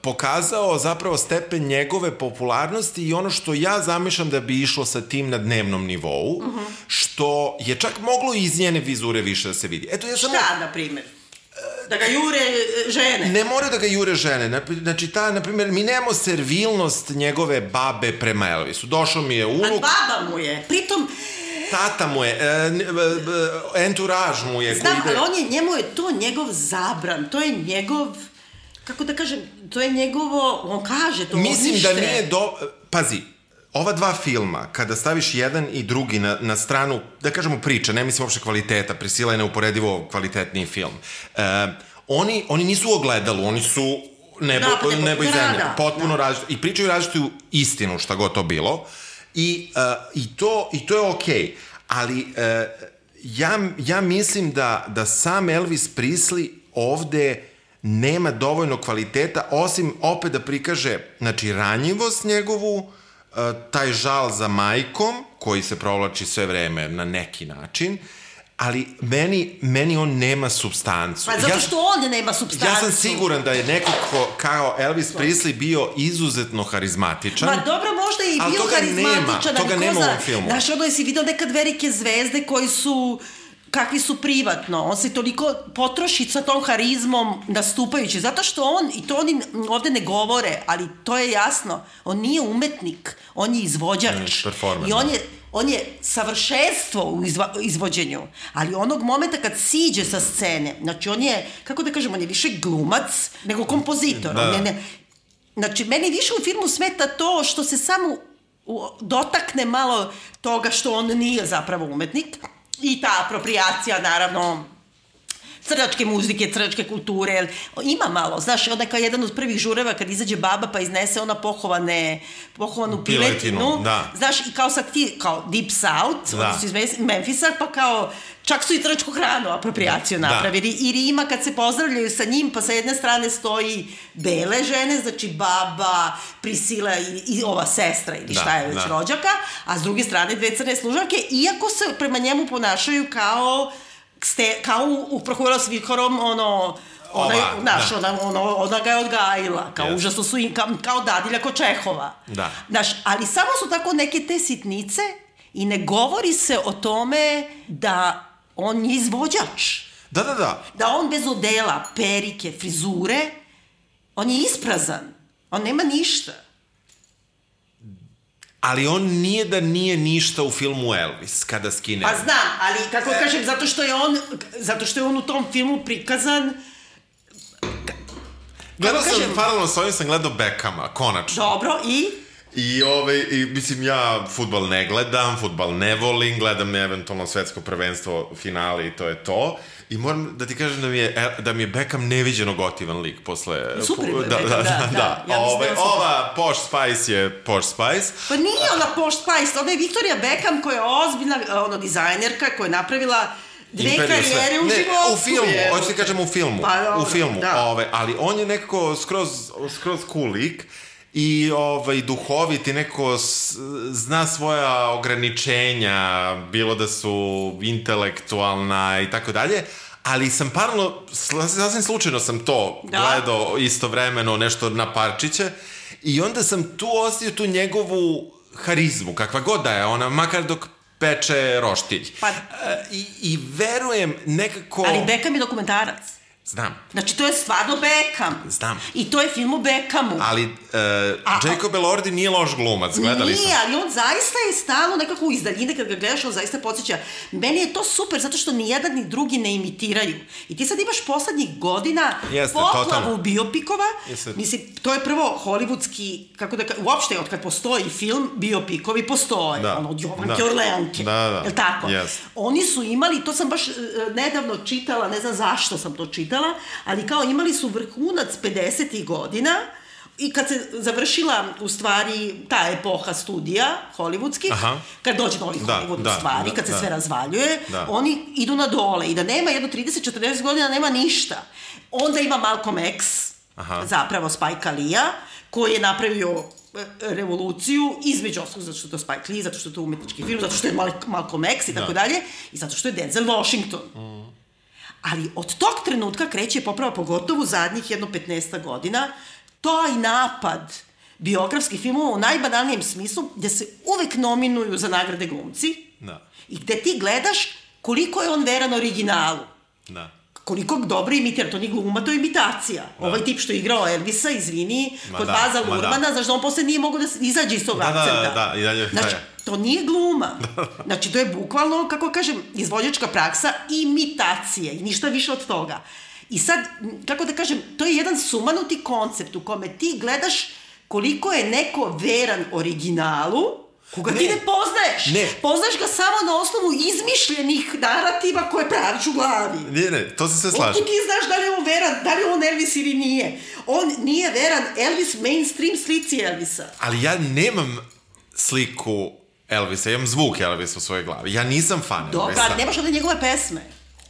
pokazao zapravo stepen njegove popularnosti i ono što ja zamišljam da bi išlo sa tim na dnevnom nivou, uh-huh. Što je čak moglo iz njene vizure više da se vidi. Eto, ja samo... Šta, na primjer? Da ga jure žene? Ne moraju da ga jure žene. Znači, ta, na primjer, mi nemamo servilnost njegove babe prema Elvisu. Došao mi je unuk... A baba mu je. Pritom... Tata mu je, enturaž mu je. Znam, ide... ali on je, njemu je to njegov zabran, to je njegov... Kako da kažem, to je njegovo, on kaže to, mislim nište. Da nije do... Pazi, ova dva filma, kada staviš jedan i drugi na, na stranu, da kažemo priča, ne mislim uopšte kvaliteta, Prisila je neuporedivo kvalitetniji film, e, oni, oni nisu u ogledalu, oni su nebo, da, nebo i zemlja, potpuno da. Različito, i pričaju različitu istinu, šta god to bilo, i, e, i, to, i to je okej, okay. Ali... E, Ja, ja mislim da, da sam Elvis Presley ovde nema dovoljno kvaliteta, osim opet da prikaže, znači, ranjivost njegovu, taj žal za majkom, koji se provlači sve vreme na neki način, ali meni, meni on nema supstancu. Pa zato što on nema supstancu. Ja sam siguran da je neko ko, kao Elvis Presley bio izuzetno harizmatičan. Ma dobro, možda je i bio harizmatičan. Toga nema u ovom filmu. Znaš, ono jesi vidio nekad velike zvezde koji su... kakvi su privatno, on se toliko potroši sa tom harizmom nastupajući, zato što on, i to oni ovde ne govore, ali to je jasno, on nije umetnik, on je izvođač. Mm, I on je, on je savršenstvo u izva, izvođenju, ali onog momenta kad siđe sa scene, znači on je, kako da kažem, on je više glumac nego kompozitor. Da. On je ne, znači, meni više u filmu smeta to što se samo dotakne malo toga što on nije zapravo umetnik, i ta apropriacija, naravno, crnačke muzike, crnačke kulture, ima malo, znaš, onda kao jedan od prvih žureva kad izađe baba pa iznese ona pohovane, pohovanu piletinu, piletinu da. Znaš, i kao sad ti, kao Deep South, da. Oni su iz Memfisa, pa kao, čak su i crnačku hranu apropriaciju da. Napravili, i Rima kad se pozdravljaju sa njim, pa sa jedne strane stoji bele žene, znači baba, Prisila i, i ova sestra, ili šta je već da. Rođaka, a s druge strane dve crne služavke, iako se prema njemu ponašaju kao Ste, kao u, u Prohuvela s Vihorom, ono, ona, Ova, naš, da. ona, ono, ona ga je odgajila, kao yes. užasno su im, kao, kao dadilja kod Čehova. Da. Znaš, ali samo su tako neke te sitnice i ne govori se o tome da on je izvođač. Da, da, da. Da on bez odela, perike, frizure, on je isprazan. On nema ništa. Ali on nije da nije ništa u filmu Elvis, kada skine. Pa znam, ali kako kažem, zato što je on, zato što je on u tom filmu prikazan... Gledao sam, kažem, paralelno s ovim sam gledao Beckhama, konačno. Dobro, i... I, ovaj, i mislim, ja fudbal ne gledam, fudbal ne volim, gledam eventualno svetsko prvenstvo, finale i to je to. I moram da ti kažem da mi je, da mi je Beckham neviđeno gotivan lik posle... Super je da, Beckham, da, da, da. da. da. Ja Ove, ova Posh Spice je Posh Spice. Pa nije ona Posh Spice, ona je Victoria Beckham koja je ozbiljna ono, dizajnerka koja je napravila dve Imperiju karijere sve. u ne, životu. U filmu, hoću ti kažem u filmu. Pa, dobro, u filmu, da. ove, ali on je nekako skroz, skroz cool lik. I ovaj, duhovit i neko s, zna svoja ograničenja, bilo da su intelektualna i tako dalje, ali sam parno, sasvim slučajno sam to da. gledao istovremeno nešto na parčiće i onda sam tu osjetio tu njegovu harizmu, kakva god da je ona, makar dok peče roštilj. Pa, I, I verujem nekako... Ali Beckham je dokumentarac. Znam. Znači, to je stvarno Beckham. Znam. I to je film o Beckhamu. Ali uh, Jacob Elordi nije loš glumac, gledali smo. Nije, ali on zaista je stalno nekako iz daljine, kad ga gledaš, on zaista podsjeća. Meni je to super, zato što ni jedan ni drugi ne imitiraju. I ti sad imaš poslednjih godina Jeste, poplavu totalno. biopikova. Jeste. Mislim, to je prvo hollywoodski, kako da kažem, uopšte od kad postoji film, biopikovi postoje. Da. Ono, od Jovanke Orleanke. Da, da. Jel' tako? Yes. Oni su imali, to sam baš uh, nedavno čitala, ne znam zašto sam to čitala, ali kao imali su vrhunac pedesetih godina i kad se završila u stvari ta epoha studija hollywoodskih, Aha. kad dođe novi da, Hollywood da, u stvari, da, kad se da. sve razvaljuje, da. oni idu na dole i da nema jedno trideset četrdeset godina, nema ništa. Onda ima Malcolm X, Aha. zapravo Spike Lee-a, koji je napravio revoluciju, između ostalog zato što je to Spike Lee, zato što je to umetnički film, zato što je Malcolm X i tako da. dalje, i zato što je Denzel Washington. Mm. Ali od tog trenutka kreće poprava, pogotovo zadnjih jedno petnaest godina, taj napad biografskih filmova u najbanalnijem smislu, gde se uvek nominuju za nagrade glumci da. i gde ti gledaš koliko je on veran originalu. Da. Koliko dobro imitira, to nije gluma, to je imitacija. Da. Ovaj tip što je igrao Elvisa, izvini, ma kod da, Baza Lurmana, da. znaš da on posle nije mogo da izađe iz tog da, akcenta. Da, da, da, i dalje. Znači, to nije gluma. Znači, to je bukvalno, kako kažem, izvođačka praksa imitacije i ništa više od toga. I sad, kako da kažem, to je jedan sumanuti koncept u kome ti gledaš koliko je neko veran originalu, koga ne. ti ne poznaješ. Ne. Poznaješ ga samo na osnovu izmišljenih narativa koje praviš u glavi. Ne, ne, to se sve slaže. Otkud ti znaš da li je on veran, da li je on Elvis ili nije. On nije veran Elvis mainstream slici Elvisa. Ali ja nemam sliku Elvisa, ja imam zvuk Elvisa u svojoj glavi. Ja nisam fan Dobra, Elvisa. Dobra, nemaš onda njegove pesme.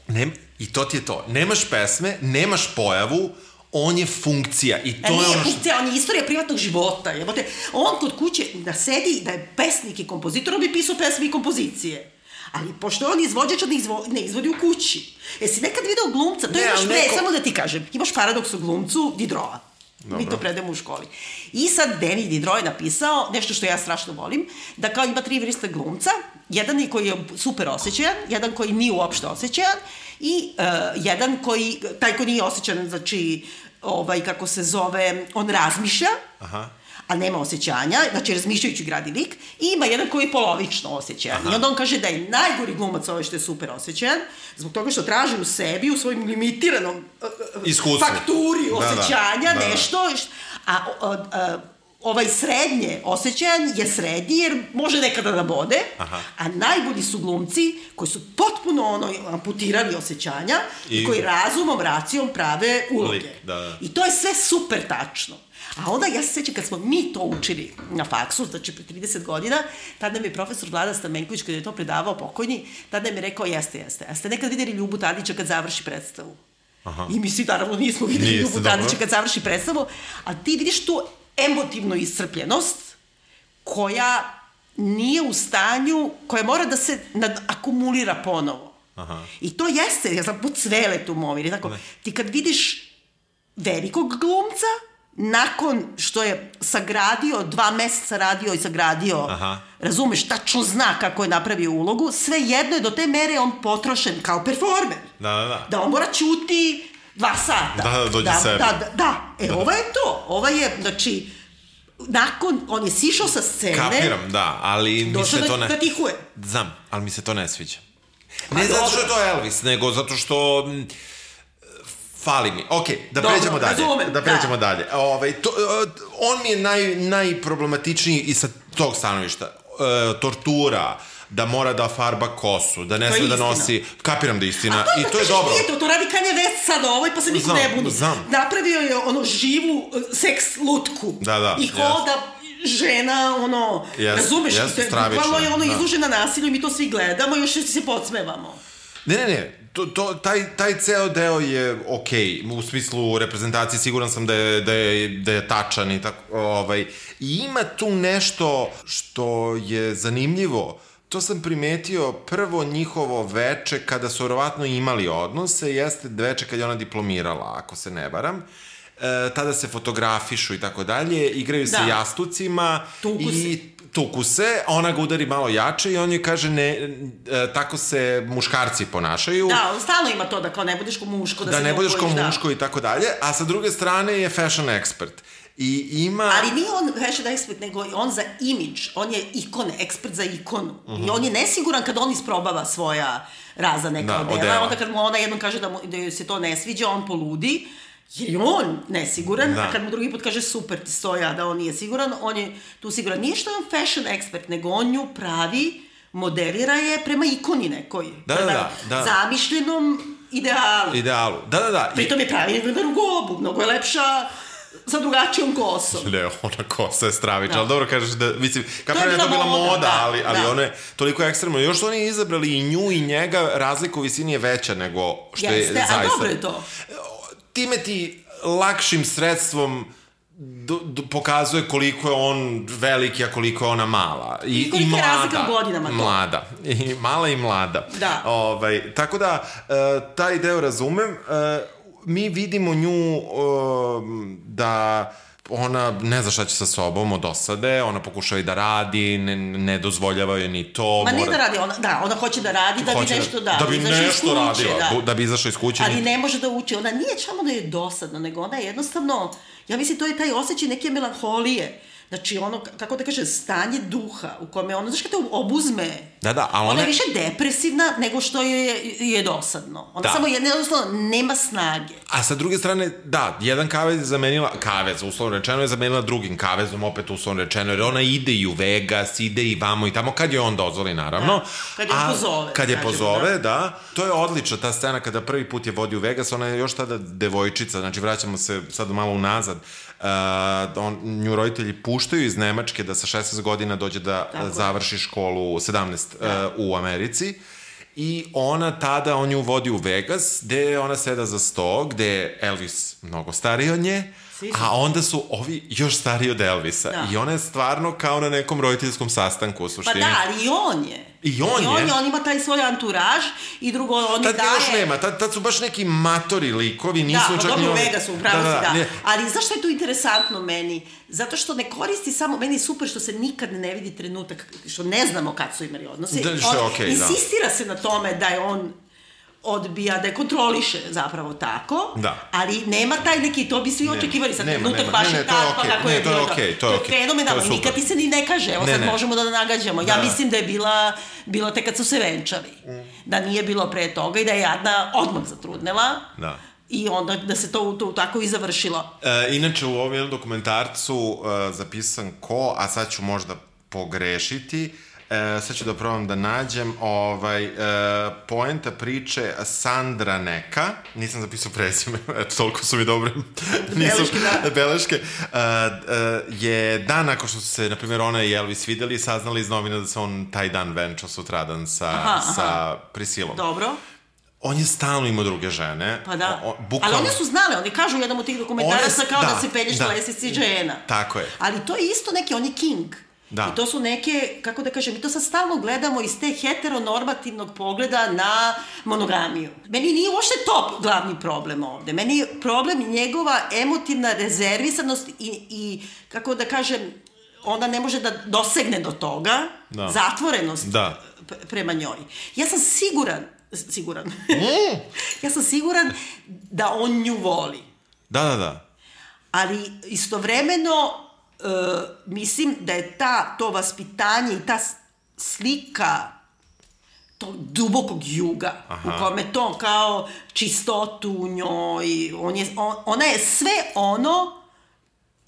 Nem, I to ti je to. Nemaš pesme, nemaš pojavu, on je funkcija i to A je nije ono što... funkcija, on je istorija privatnog života. Jebote, on kod kuće da sedi, da je pesnik i kompozitor, on bi pisao pesme i kompozicije. Ali pošto je on izvođač, on ne, izvo, ne izvodi u kući. Jesi nekad video glumca? To ne, imaš, ne, neko... samo da ti kažem, imaš paradoks u glumcu Diderota. Mi to predemo u školi. I sad Denis Diderot je napisao nešto što ja strašno volim, da kao ima tri vrste glumca, jedan je koji je super osjećajan, jedan koji nije uopšte osjećajan i uh, jedan koji, taj koji nije osjećajan, znači, ovaj, kako se zove, on razmišlja, aha, a nema osjećanja, znači razmišljajući gradi lik, i ima jedan koji je polovično osjećajan. Aha. I onda on kaže da je najgori glumac ovaj što je super osjećajan, zbog toga što traži u sebi, u svojim limitiranom uh, fakturi osjećanja, da, da, nešto, a, a, a ovaj srednje osjećajan je srednji jer može nekada da bode, aha, a najbolji su glumci koji su potpuno ono amputirali osjećanja i, i koji razumom, racijom prave uloge. Da, da. I to je sve super tačno. A onda ja se sećam kad smo mi to učili na faksu, znači pre trideset godina, tada nam je profesor Vlada Stamenković, kada je to predavao pokojni, tada nam je rekao jeste, jeste. A ste nekad vidjeli Ljubu Tadića kad završi predstavu? Aha. I mi svi naravno nismo vidjeli Ljubu Tadića kad završi predstavu, a ti vidiš tu emotivnu iscrpljenost koja nije u stanju, koja mora da se akumulira ponovo. Aha. I to jeste, ja znam, po Cveletu Movir, tako, ne. Ti kad vidiš velikog glumca, nakon što je sagradio, dva meseca radio i sagradio, aha, razumeš, tačno zna kako je napravio ulogu, sve jedno je do te mere on potrošen kao performer. Da, da, da. Da on mora čuti dva sata. Da, da, dođe da, sebi. Da, da, da. E, da, ova je to. Ova je, znači, nakon, on je sišao sa scene. Kapiram, da, ali mi se to ne... da tihuje. Znam, ali mi se to ne sviđa. Ne zato što je to Elvis, nego zato što... Fali mi. Ok, da dobro, pređemo dalje. Razumem, da pređemo da. dalje. Ovaj, to, on mi je naj, najproblematičniji i sa tog stanovišta. E, tortura, da mora da farba kosu, da ne sme da nosi... Kapiram da je istina. To, i to je dobro. Nije to, to radi Kanye West sad ovoj, pa se niko znam, ne buni. Znam. Napravio je ono živu seks lutku. Da, da. I hoda yes. žena, ono... Yes, razumeš? Yes, bukvalno je ono da. izlužena nasilju i mi to svi gledamo i još se podsmevamo. Ne, ne, ne. To, to, taj, taj ceo deo je okej, okay. U smislu reprezentacije siguran sam da je, da je, da je tačan i tako, ovaj, i ima tu nešto što je zanimljivo. To sam primetio prvo njihovo veče kada su verovatno imali odnose, jeste veče kad je ona diplomirala, ako se ne varam. E, tada se fotografišu i tako dalje, igraju se da. jastucima tuku i se. tuku se, ona ga udari malo jače i on joj kaže ne, e, tako se muškarci ponašaju. Da, stalno ima to da kao ne budeš ko muško, da, da se ne budeš ko muško da. i tako dalje, a sa druge strane je fashion expert. I ima... Ali nije on fashion expert, nego on za imidž, on je ikon, ekspert za ikonu. Uh-huh. I on je nesiguran kad on isprobava svoja razna neka da, odela, odela, onda kad mu ona jednom kaže da, mu, da se to ne sviđa, on poludi, jer je on nesiguran, da. a kad mu drugi put kaže super ti stoja da on nije siguran, on je tu siguran. Nije što je on fashion expert, nego on nju pravi, modelira je prema ikoni nekoj. Da, prema da, da. zamišljenom idealu. Idealu, da, da, da. Pritom je pravi na rugobu, mnogo je lepša sa drugačijom kosom. Ne, ona kosa je stravična, da. ali dobro kažeš da, mislim, kako je to bila moda, moda da, ali, ali da. ona je toliko ekstremno. Još su oni izabrali i nju i njega, razlika u visini je veća nego što Jeste, je zaista. Jeste, a dobro je to. Time ti lakšim sredstvom do, do, pokazuje koliko je on veliki, a koliko je ona mala. I, I koliko je razlika u godinama to. Mlada. I mala i mlada. Da. Ovaj, tako da, uh, taj deo razumem. Uh, mi vidimo nju uh, da ona ne zna šta će sa sobom od osade, ona pokušava i da radi, ne, ne dozvoljava joj ni to. Ma mora... ne da radi, ona, da, ona hoće da radi da bi nešto da, da bi nešto radila, da. da bi izašla iz kuće. Ali ne može da uči, ona nije samo da je dosadna, nego ona je jednostavno, ja mislim to je taj osjećaj neke melanholije. Znači, ono, kako da kaže, stanje duha u kome ono, znaš kada te obuzme, da, da, a ona... ona je više depresivna nego što je, je dosadno. Ona da. samo je, jednostavno, nema snage. A sa druge strane, da, jedan kavez je zamenila, kavez, uslovno rečeno, je zamenila drugim kavezom, opet uslovno rečeno, jer ona ide i u Vegas, ide i vamo i tamo, kad je on dozvoli, naravno. Da, kad je a, pozove. Kad je pozove, da. da. To je odlična ta scena kada prvi put je vodi u Vegas, ona je još tada devojčica, znači vraćamo se sad malo unazad. Uh, on, nju roditelji puštaju iz Nemačke da sa šesnaest godina dođe da Tako završi školu sedamnaest da. uh, u Americi i ona tada, on ju vodi u Vegas, gde ona seda za sto, gde je Elvis mnogo stariji od nje, a onda su ovi još stariji od Elvisa. Da. I ona je stvarno kao na nekom roditeljskom sastanku u suštini. Pa da, ali i on je. I on, I on je. je. On ima taj svoj anturaž i drugo, on tad daje... Tad još nema, tad, tad su baš neki matori likovi, nisu da, čak... Da, pa dobro, oni... u Vegasu, upravo da, da, si, da. Ne. Ali zašto je to interesantno meni? Zato što ne koristi samo... Meni je super što se nikad ne vidi trenutak, što ne znamo kad su imali odnose. Da, što je okej, okay, da. Insistira se na tome da je on odbija, da je kontroliše zapravo tako, da. Ali nema taj neki, to bi svi nema, očekivali sad nema, trenutak nema, baš ne, je ne, to je tako okay, kako ne, je to je bilo. okej, okay, to je okej. fenomenalno, nikad ti se ni ne kaže, evo ne, sad ne. možemo da nagađamo. Da. Ja mislim da je bila, bilo te kad su se venčali, mm. da nije bilo pre toga i da je Jadna odmah zatrudnela. Da. I onda da se to, to tako i završilo. E, inače, u ovom jednom dokumentarcu uh, zapisan ko, a sad ću možda pogrešiti, e, sad ću da probam da nađem, ovaj, e, poenta priče Sandra neka, nisam zapisao prezime, eto, toliko su mi dobre beleške, da. beleške, e, e, je dan nakon što su se, na primjer, ona i Elvis videli, saznali iz novina da se on taj dan venčao sutradan sa, aha, aha. sa Priscilom. Dobro. On je stalno imao druge žene. Pa da. O, bukvalno... Ali one su znale, oni kažu u jednom od tih dokumentaraca kao da, da se pelješ da, na lestvici žena. Tako je. Ali to je isto neki, on je king. Da. I to su neke, kako da kažem, mi to sad stalno gledamo iz te heteronormativnog pogleda na monogamiju. Meni nije uopšte to glavni problem ovde. Meni je problem njegova emotivna rezervisanost i, i kako da kažem, ona ne može da dosegne do toga, da. Zatvorenost da. Prema njoj. Ja sam siguran, siguran, mm. ja sam siguran da on nju voli. Da, da, da. Ali istovremeno Uh, mislim da je ta, to vaspitanje i ta slika tog dubokog juga, aha. U kome to kao čistotu u njoj, on je, on, ona je sve ono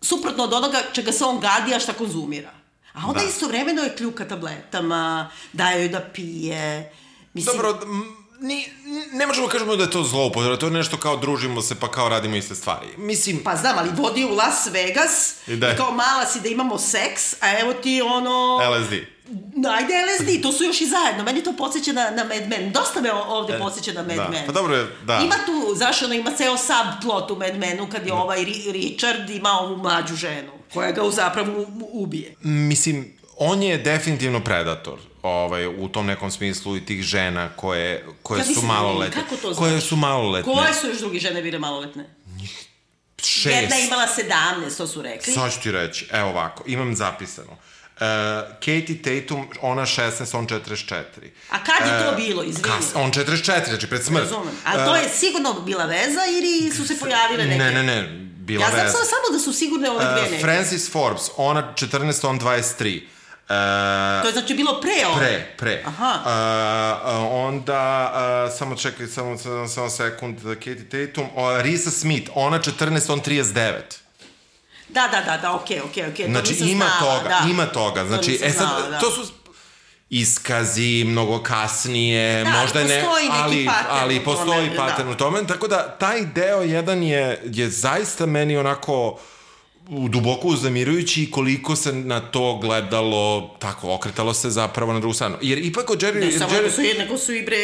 suprotno od onoga čega se on gadi, a šta konzumira. A onda da. Istovremeno je kljuka tabletama, daje joj da pije. Mislim, dobro, Ni, ne možemo kažemo da je to zloupotreba, to je nešto kao družimo se pa kao radimo iste stvari. Mislim... Pa znam, ali vodi u Las Vegas i, i kao mala si da imamo seks, a evo ti ono... L S D. Ajde L S D, to su još i zajedno. Meni to podsjeća na, na Mad Men. Dosta me ovde podsjeća na Mad da. Men. Pa dobro je, da. Ima tu, znaš, ono, ima ceo subplot u Mad Menu kad je da. Ovaj Richard ima ovu mlađu ženu koja ga zapravo ubije. Mislim, on je definitivno predator. Ovaj, u tom nekom smislu i tih žena koje, koje su maloletne. Kako to znaš? Koje su maloletne. Koje su još drugi žene bile maloletne? Šest. Jedna imala sedamnaest, to su rekli. Sad ću ti reći, evo ovako, imam zapisano. Uh, Katie Tatum, ona šesnaest, on četrdeset četiri. A kad je to uh, bilo, izvini? Kas, on četrdeset četiri, znači pred smrt. Razumem. A to je sigurno bila veza ili su se pojavile neke? Ne, ne, ne, bila ja veza. Ja znam samo da su sigurne ove dve neke. Uh, Francis Forbes, ona četrnaest, on dvadeset tri. Uh, to je znači bilo pre ovo? Pre, pre. Aha. Uh, uh, onda, uh, samo čekaj, samo, samo, samo sekund, Katie Tatum, uh, Risa Smith, ona četrnaest, on trideset devet. Da, da, da, da, okej, okej, okej. Znači, ima znala, toga, da. ima toga. Znači, to e sad, znala, da. To su iskazi, mnogo kasnije, da, možda ne, ali, ali postoji tome, pattern da. u tome, tako da taj deo jedan je, je zaista meni onako duboko uznemirujući koliko se na to gledalo, tako, okretalo se zapravo na drugu stranu. Jer ipak od Jerry... Ne, samo Jerry... su jednako su i bre,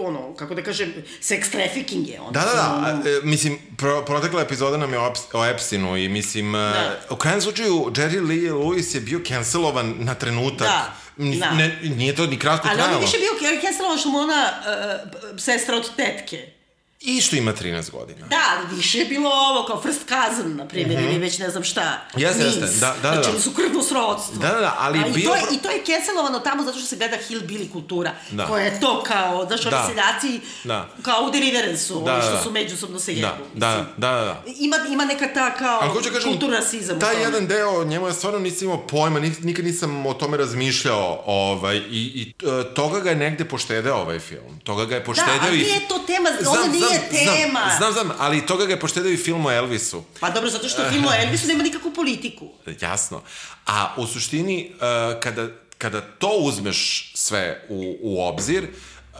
ono, kako da kažem, sex trafficking je. Da, da, da, ono... mislim, pro, protekla epizoda nam je o, o Epsteinu i mislim, da. U krajem slučaju, Jerry Lee Lewis je bio cancelovan na trenutak. Da. Da. Ne, nije to ni kratko trajalo. Ali on je više bio cancelovan što mu ona uh, sestra od tetke. I što ima trinaest godina. Da, ali više je bilo ovo, kao first cousin, na primjer, mm-hmm. ili već ne znam šta. Jeste, jeste, da, da, da. Znači, su krvno srodstvo. Da, da, da, ali... ali bio... to je, I to je cancelovano tamo zato što se gleda hillbilly kultura, da. Koja je to kao, znaš, ovi seljaci, da. Kao u Deliverance-u, da, oni što da. Su međusobno se jedu. Da, da, da, da. Ima, ima neka ta, kao, kažem, kulturna rasizam. Taj jedan deo, njemu ja stvarno nisam imao pojma, nikad nisam o tome razmišljao, ovaj, i, i toga ga je negde poštedeo ovaj film. Toga ga je poštedeo i... Da, ali nije to tema, ono nije tema. Znam, znam, ali toga ga je poštedeo i film o Elvisu. Pa dobro, zato što film o Elvisu nema nikakvu politiku. Jasno. A u suštini, uh, kada, kada to uzmeš sve u, u obzir, uh,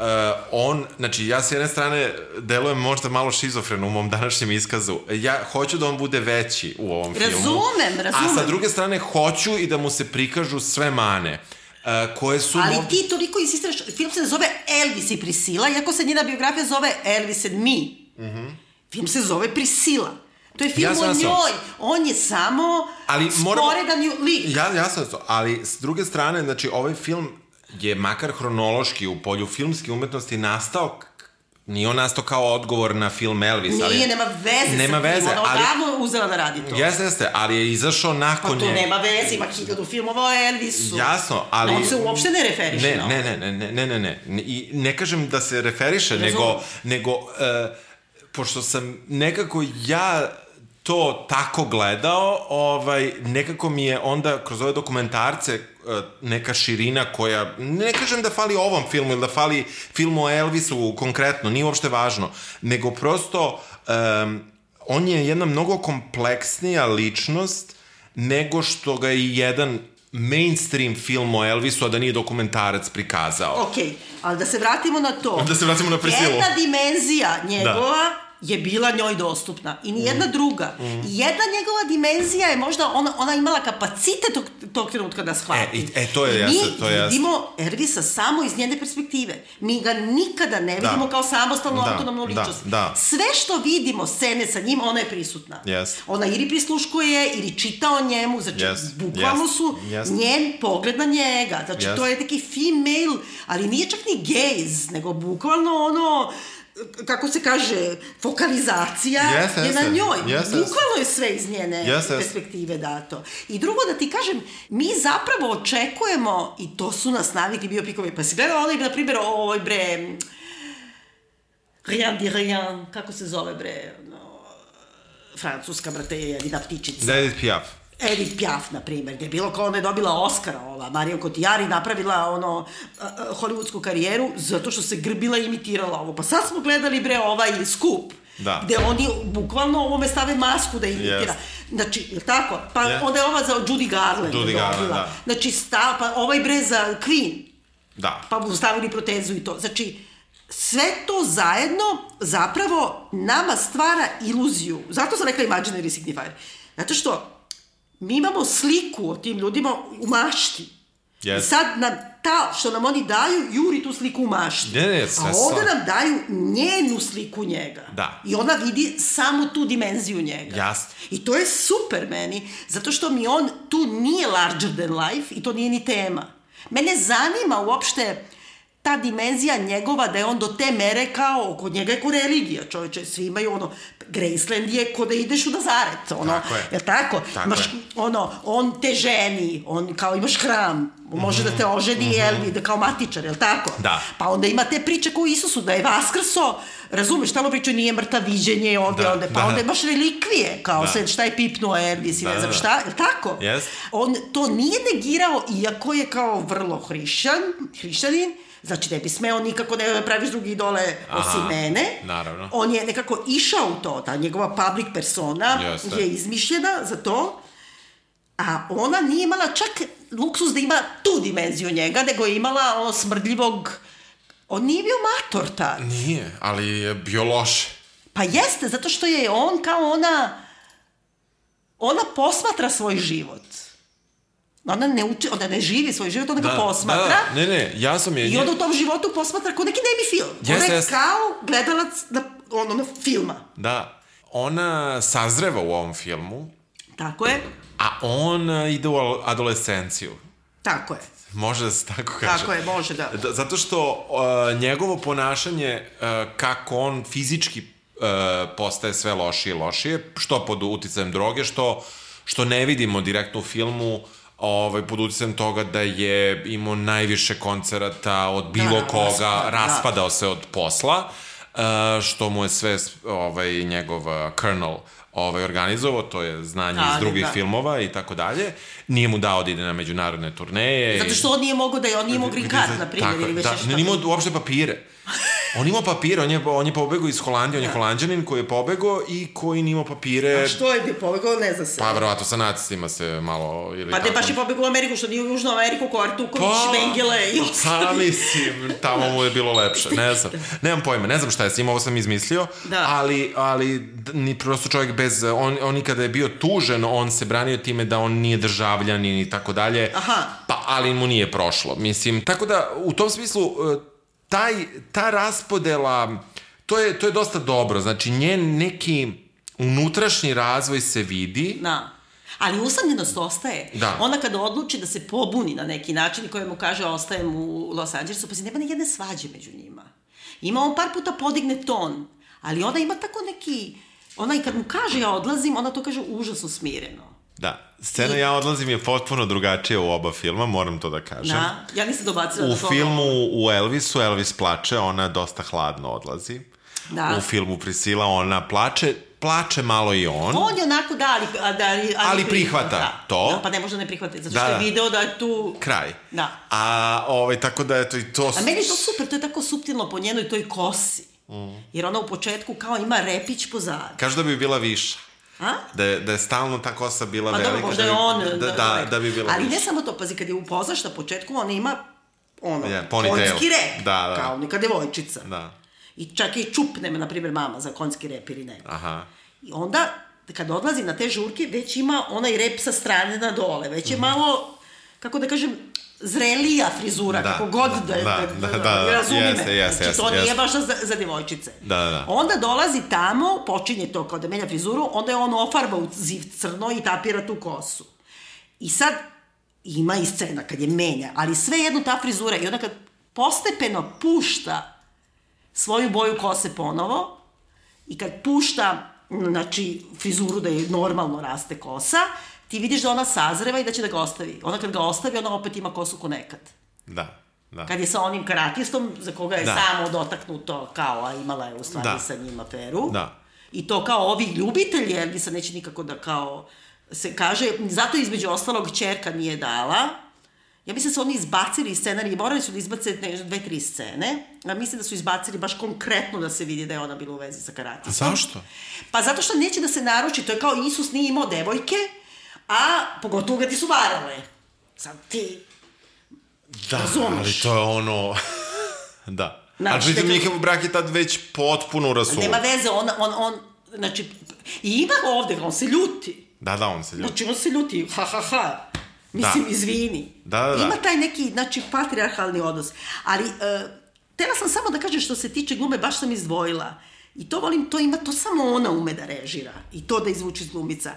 on, znači ja s jedne strane delujem možda malo šizofreno u mom današnjem iskazu. Ja hoću da on bude veći u ovom razumem, filmu. Razumem, razumem. A sa druge strane hoću i da mu se prikažu sve mane. uh, koje su... Ali ti toliko insistiraš, film se ne zove Elvis i Priscilla, iako se njena biografija zove Elvis and Me. Mm-hmm. Film se zove Priscilla. To je film ja o njoj. On je samo sporedan lik. Ja, ja sam to, ali s druge strane, znači, ovaj film je makar hronološki u polju filmske umetnosti nastao, nije on nastao kao odgovor na film Elvis. Nije, ali, nema veze nema sa veze, film, ona ali, odavno uzela da radi to. Jeste, jeste, ali je izašao nakon... Pa to je... nema veze, ima hiljadu filmova o Elvisu. Jasno, ali... On se uopšte ne referiše ne, na ne, ne, ne, ne, ne, ne, ne, i ne kažem da se referiše, Razum. nego, nego uh, pošto sam nekako ja to tako gledao, ovaj, nekako mi je onda kroz ove dokumentarce neka širina koja, ne kažem da fali ovom filmu ili da fali filmu o Elvisu konkretno, nije uopšte važno, nego prosto um, on je jedna mnogo kompleksnija ličnost nego što ga je jedan mainstream film o Elvisu, a da nije dokumentarac prikazao. Okej, okay, ali da se vratimo na to. Da se vratimo na Priscilu. Jedna dimenzija njegova da. je bila njoj dostupna i nijedna mm. druga. Mm. I jedna njegova dimenzija je možda, ona, ona imala kapacitet tog, tog trenutka da shvati. E, e to je jasno, to je jasno. Mi vidimo Elvisa samo iz njene perspektive. Mi ga nikada ne vidimo da. kao samostalnu da. autonomnu ličnost. Da. Da. Sve što vidimo, scene sa njim, ona je prisutna. Yes. Ona ili prisluškuje, ili čita o njemu, znači yes. bukvalno yes. su yes. njen pogled na njega. Znači yes. to je neki female, ali nije čak ni gaze, nego bukvalno ono... kako se kaže, fokalizacija yes, je yes, na njoj. Yes, Bukvalno je sve iz njene yes, perspektive dato. I drugo da ti kažem, mi zapravo očekujemo, i to su nas navikli biopikovi, pa si gledala onaj, na primjer, ovoj bre, Rien di Rien, kako se zove bre, no, francuska, brate, jedna ptičica. Edith Piaf. Edith Piaf, na primjer, gdje je bilo kao ona je dobila Oscara, ova, Marion Cotillard, i napravila ono, uh, hollywoodsku karijeru zato što se grbila i imitirala ovo. Pa sad smo gledali, bre, ovaj Scoop, da. Gde oni bukvalno ovome stave masku da imitira. Yes. Znači, je tako? Pa yeah. onda je ova za Judy Garland. Judy Garland, da. Znači, sta, pa ovaj bre za Queen. Da. Pa mu stavili protezu i to. Znači, sve to zajedno zapravo nama stvara iluziju. Zato sam rekla imaginary signifier. Zato što mi imamo sliku o tim ljudima u mašti. Yes. I sad nam ta, što nam oni daju, juri tu sliku u mašti. Ne, ne, a ovdje nam daju njenu sliku njega. Da. I ona vidi samo tu dimenziju njega. Jasno. I to je super meni, zato što mi on tu nije larger than life i to nije ni tema. Mene zanima uopšte ta dimenzija njegova, da je on do te mere kao, kod njega je ko religija, čovječe, svi imaju ono, Graceland je ko da ideš u Nazaret, ono, tako je, je tako? Tako imaš, je. Ono, on te ženi, on kao imaš hram, može mm-hmm. da te oženi, mm-hmm. jel, da kao matičar, jel tako? Da. Pa onda ima te priče kao Isusu, da je vaskrso, razumeš, tamo pričaju nije mrtav, viđenje ovdje, da, ovdje, pa da, onda imaš relikvije, kao da. Sad šta je pipnuo Elvis i da, ne znam da. Šta, jel tako? Yes. On to nije negirao, iako je kao vrlo hrišćan, hrišćanin, znači ne bi smeo nikako ne praviš drugi idole osim mene. Naravno. On je nekako išao u to, ta njegova public persona Jeste. je izmišljena za to, a ona nije imala čak luksus da ima tu dimenziju njega, nego je imala ono smrdljivog, on nije bio mator tad. Nije, ali je bio loš. Pa jeste, zato što je on kao ona, ona posmatra svoj život. Ona ne, uči, ona ne živi svoj život, ona da, ga posmatra. Da, ne, ne, ja sam je... I onda u tom životu posmatra kao neki nemi film. Yes, ona je yes. kao gledalac na, ono, na filma. Da, ona sazreva u ovom filmu. Tako je. A on ide u adolescenciju. Tako je. Može da se tako kaže. Tako je, može da. da zato što uh, njegovo ponašanje, uh, kako on fizički uh, postaje sve lošije i lošije, što pod uticajem droge, što, što ne vidimo direktno u filmu, ovaj, pod uticajem toga da je imao najviše koncerata od bilo da, koga, raspad, raspadao da. se od posla, uh, što mu je sve ovaj, njegov uh, colonel ovaj, organizovao, to je znanje da, iz drugih da. filmova i tako dalje. Nije mu dao da ide na međunarodne turneje. Zato što on nije mogao da je, on nije mogao green card, na primjer, ili već da, nešto. Ne imao uopšte papire. On imao papire, on je, on je pobegao iz Holandije, on je holandjanin koji je pobegao i koji nimao papire... A što je bio pobegao, ne zna se. Pa, verovatno, sa nacistima se malo... Ili pa ne, baš je pobegao u Ameriku, što nije u Južnu Ameriku, ko Artuković, pa, Mengele i ostali. Pa, mislim, tamo mu je bilo lepše, ne znam. Nemam pojma, ne znam šta je s njim, ovo sam izmislio, da. ali, ali ni prosto čovjek bez... On, on i kada je bio tužen, on se branio time da on nije državljanin i tako dalje. Aha. Pa, ali mu nije prošlo, mislim. Tako da, u tom smislu... Taj, ta raspodela, to je, to je dosta dobro, znači njen neki unutrašnji razvoj se vidi. Da, ali usamljenost ostaje. Da. Ona kada odluči da se pobuni na neki način i koja mu kaže ostajem u Los Angelesu, pa se nema ni jedne svađe među njima. Ima on par puta podigne ton, ali ona ima tako neki, ona i kad mu kaže ja odlazim, ona to kaže užasno smireno. Da, scena I... ja odlazim je potpuno drugačija u oba filma, moram to da kažem. Da, ja nisam dobacila u da to... U filmu u Elvisu, Elvis plače, ona dosta hladno odlazi. Da. U filmu Priscilla ona plače, plače malo i on. On je onako, da, ali... Da, ali, ali, ali prihvata da, to. Da, pa ne može da ne prihvati, zato da, što je video da je tu... Kraj. Da. A, ovaj, tako da, eto, i to... A meni je to super, to je tako suptilno po njenoj toj kosi. Mm. Jer ona u početku kao ima repić pozad. Kažu da bi bila viša. A? Da je, da je stalno ta kosa bila pa velika. Pa dobro, možda da je on... Da, da, da, da bi bila ali viša. Ne samo to, pazi, kad je upoznaš na početku, ona ima ono, yeah, konjski rep, da, da. kao neka devojčica. Da. I čak i čup nema, na primjer, mama za konjski rep ili ne. Aha. I onda, kad odlazi na te žurke, već ima onaj rep sa strane na dole, već je mm. malo, kako da kažem, zrelija frizura, da, kako god da, da, da, da, da, da razumi yes, me. Yes, znači, yes, to yes. nije baš za, za devojčice. Da, da. Onda dolazi tamo, počinje to kao da menja frizuru, onda je on ofarba u ziv crno i tapira tu kosu. I sad, ima i scena kad je menja, ali sve jedno ta frizura, i onda kad postepeno pušta svoju boju kose ponovo, i kad pušta, znači, frizuru da je normalno raste kosa, ti vidiš da ona sazreva i da će da ga ostavi. Ona kad ga ostavi, ona opet ima kosu ko nekad. Da, da. Kad je sa onim karatistom, za koga je da. samo dotaknuto, kao, a imala je u stvari da. Sa njim aferu. Da. I to kao ovi ljubitelji, Elvisa neće nikako da kao se kaže, zato između ostalog ćerka nije dala. Ja mislim da su oni izbacili scenarij, morali su da izbace dve, tri scene, a mislim da su izbacili baš konkretno da se vidi da je ona bila u vezi sa karatistom. Zašto? Pa zato što neće da se naruči, to je kao Isus nije imao devojke, a pogotovo ga ti su varale. Sad ti da, razumeš. Ali to je ono... da. Znači, ali pritom njihov brak je tad već potpuno rasuo. Nema veze, on, on, on, znači, i ima ovde, on se ljuti. Da, da, on se ljuti. Znači, on se ljuti, ha, ha, ha. Mislim, da. Izvini. Da, da, da. Ima taj neki, znači, patrijarhalni odnos. Ali, uh, tela sam samo da kažem što se tiče glume, baš sam izdvojila. I to volim, to ima, to samo ona ume da režira. I to da izvuči iz glumica.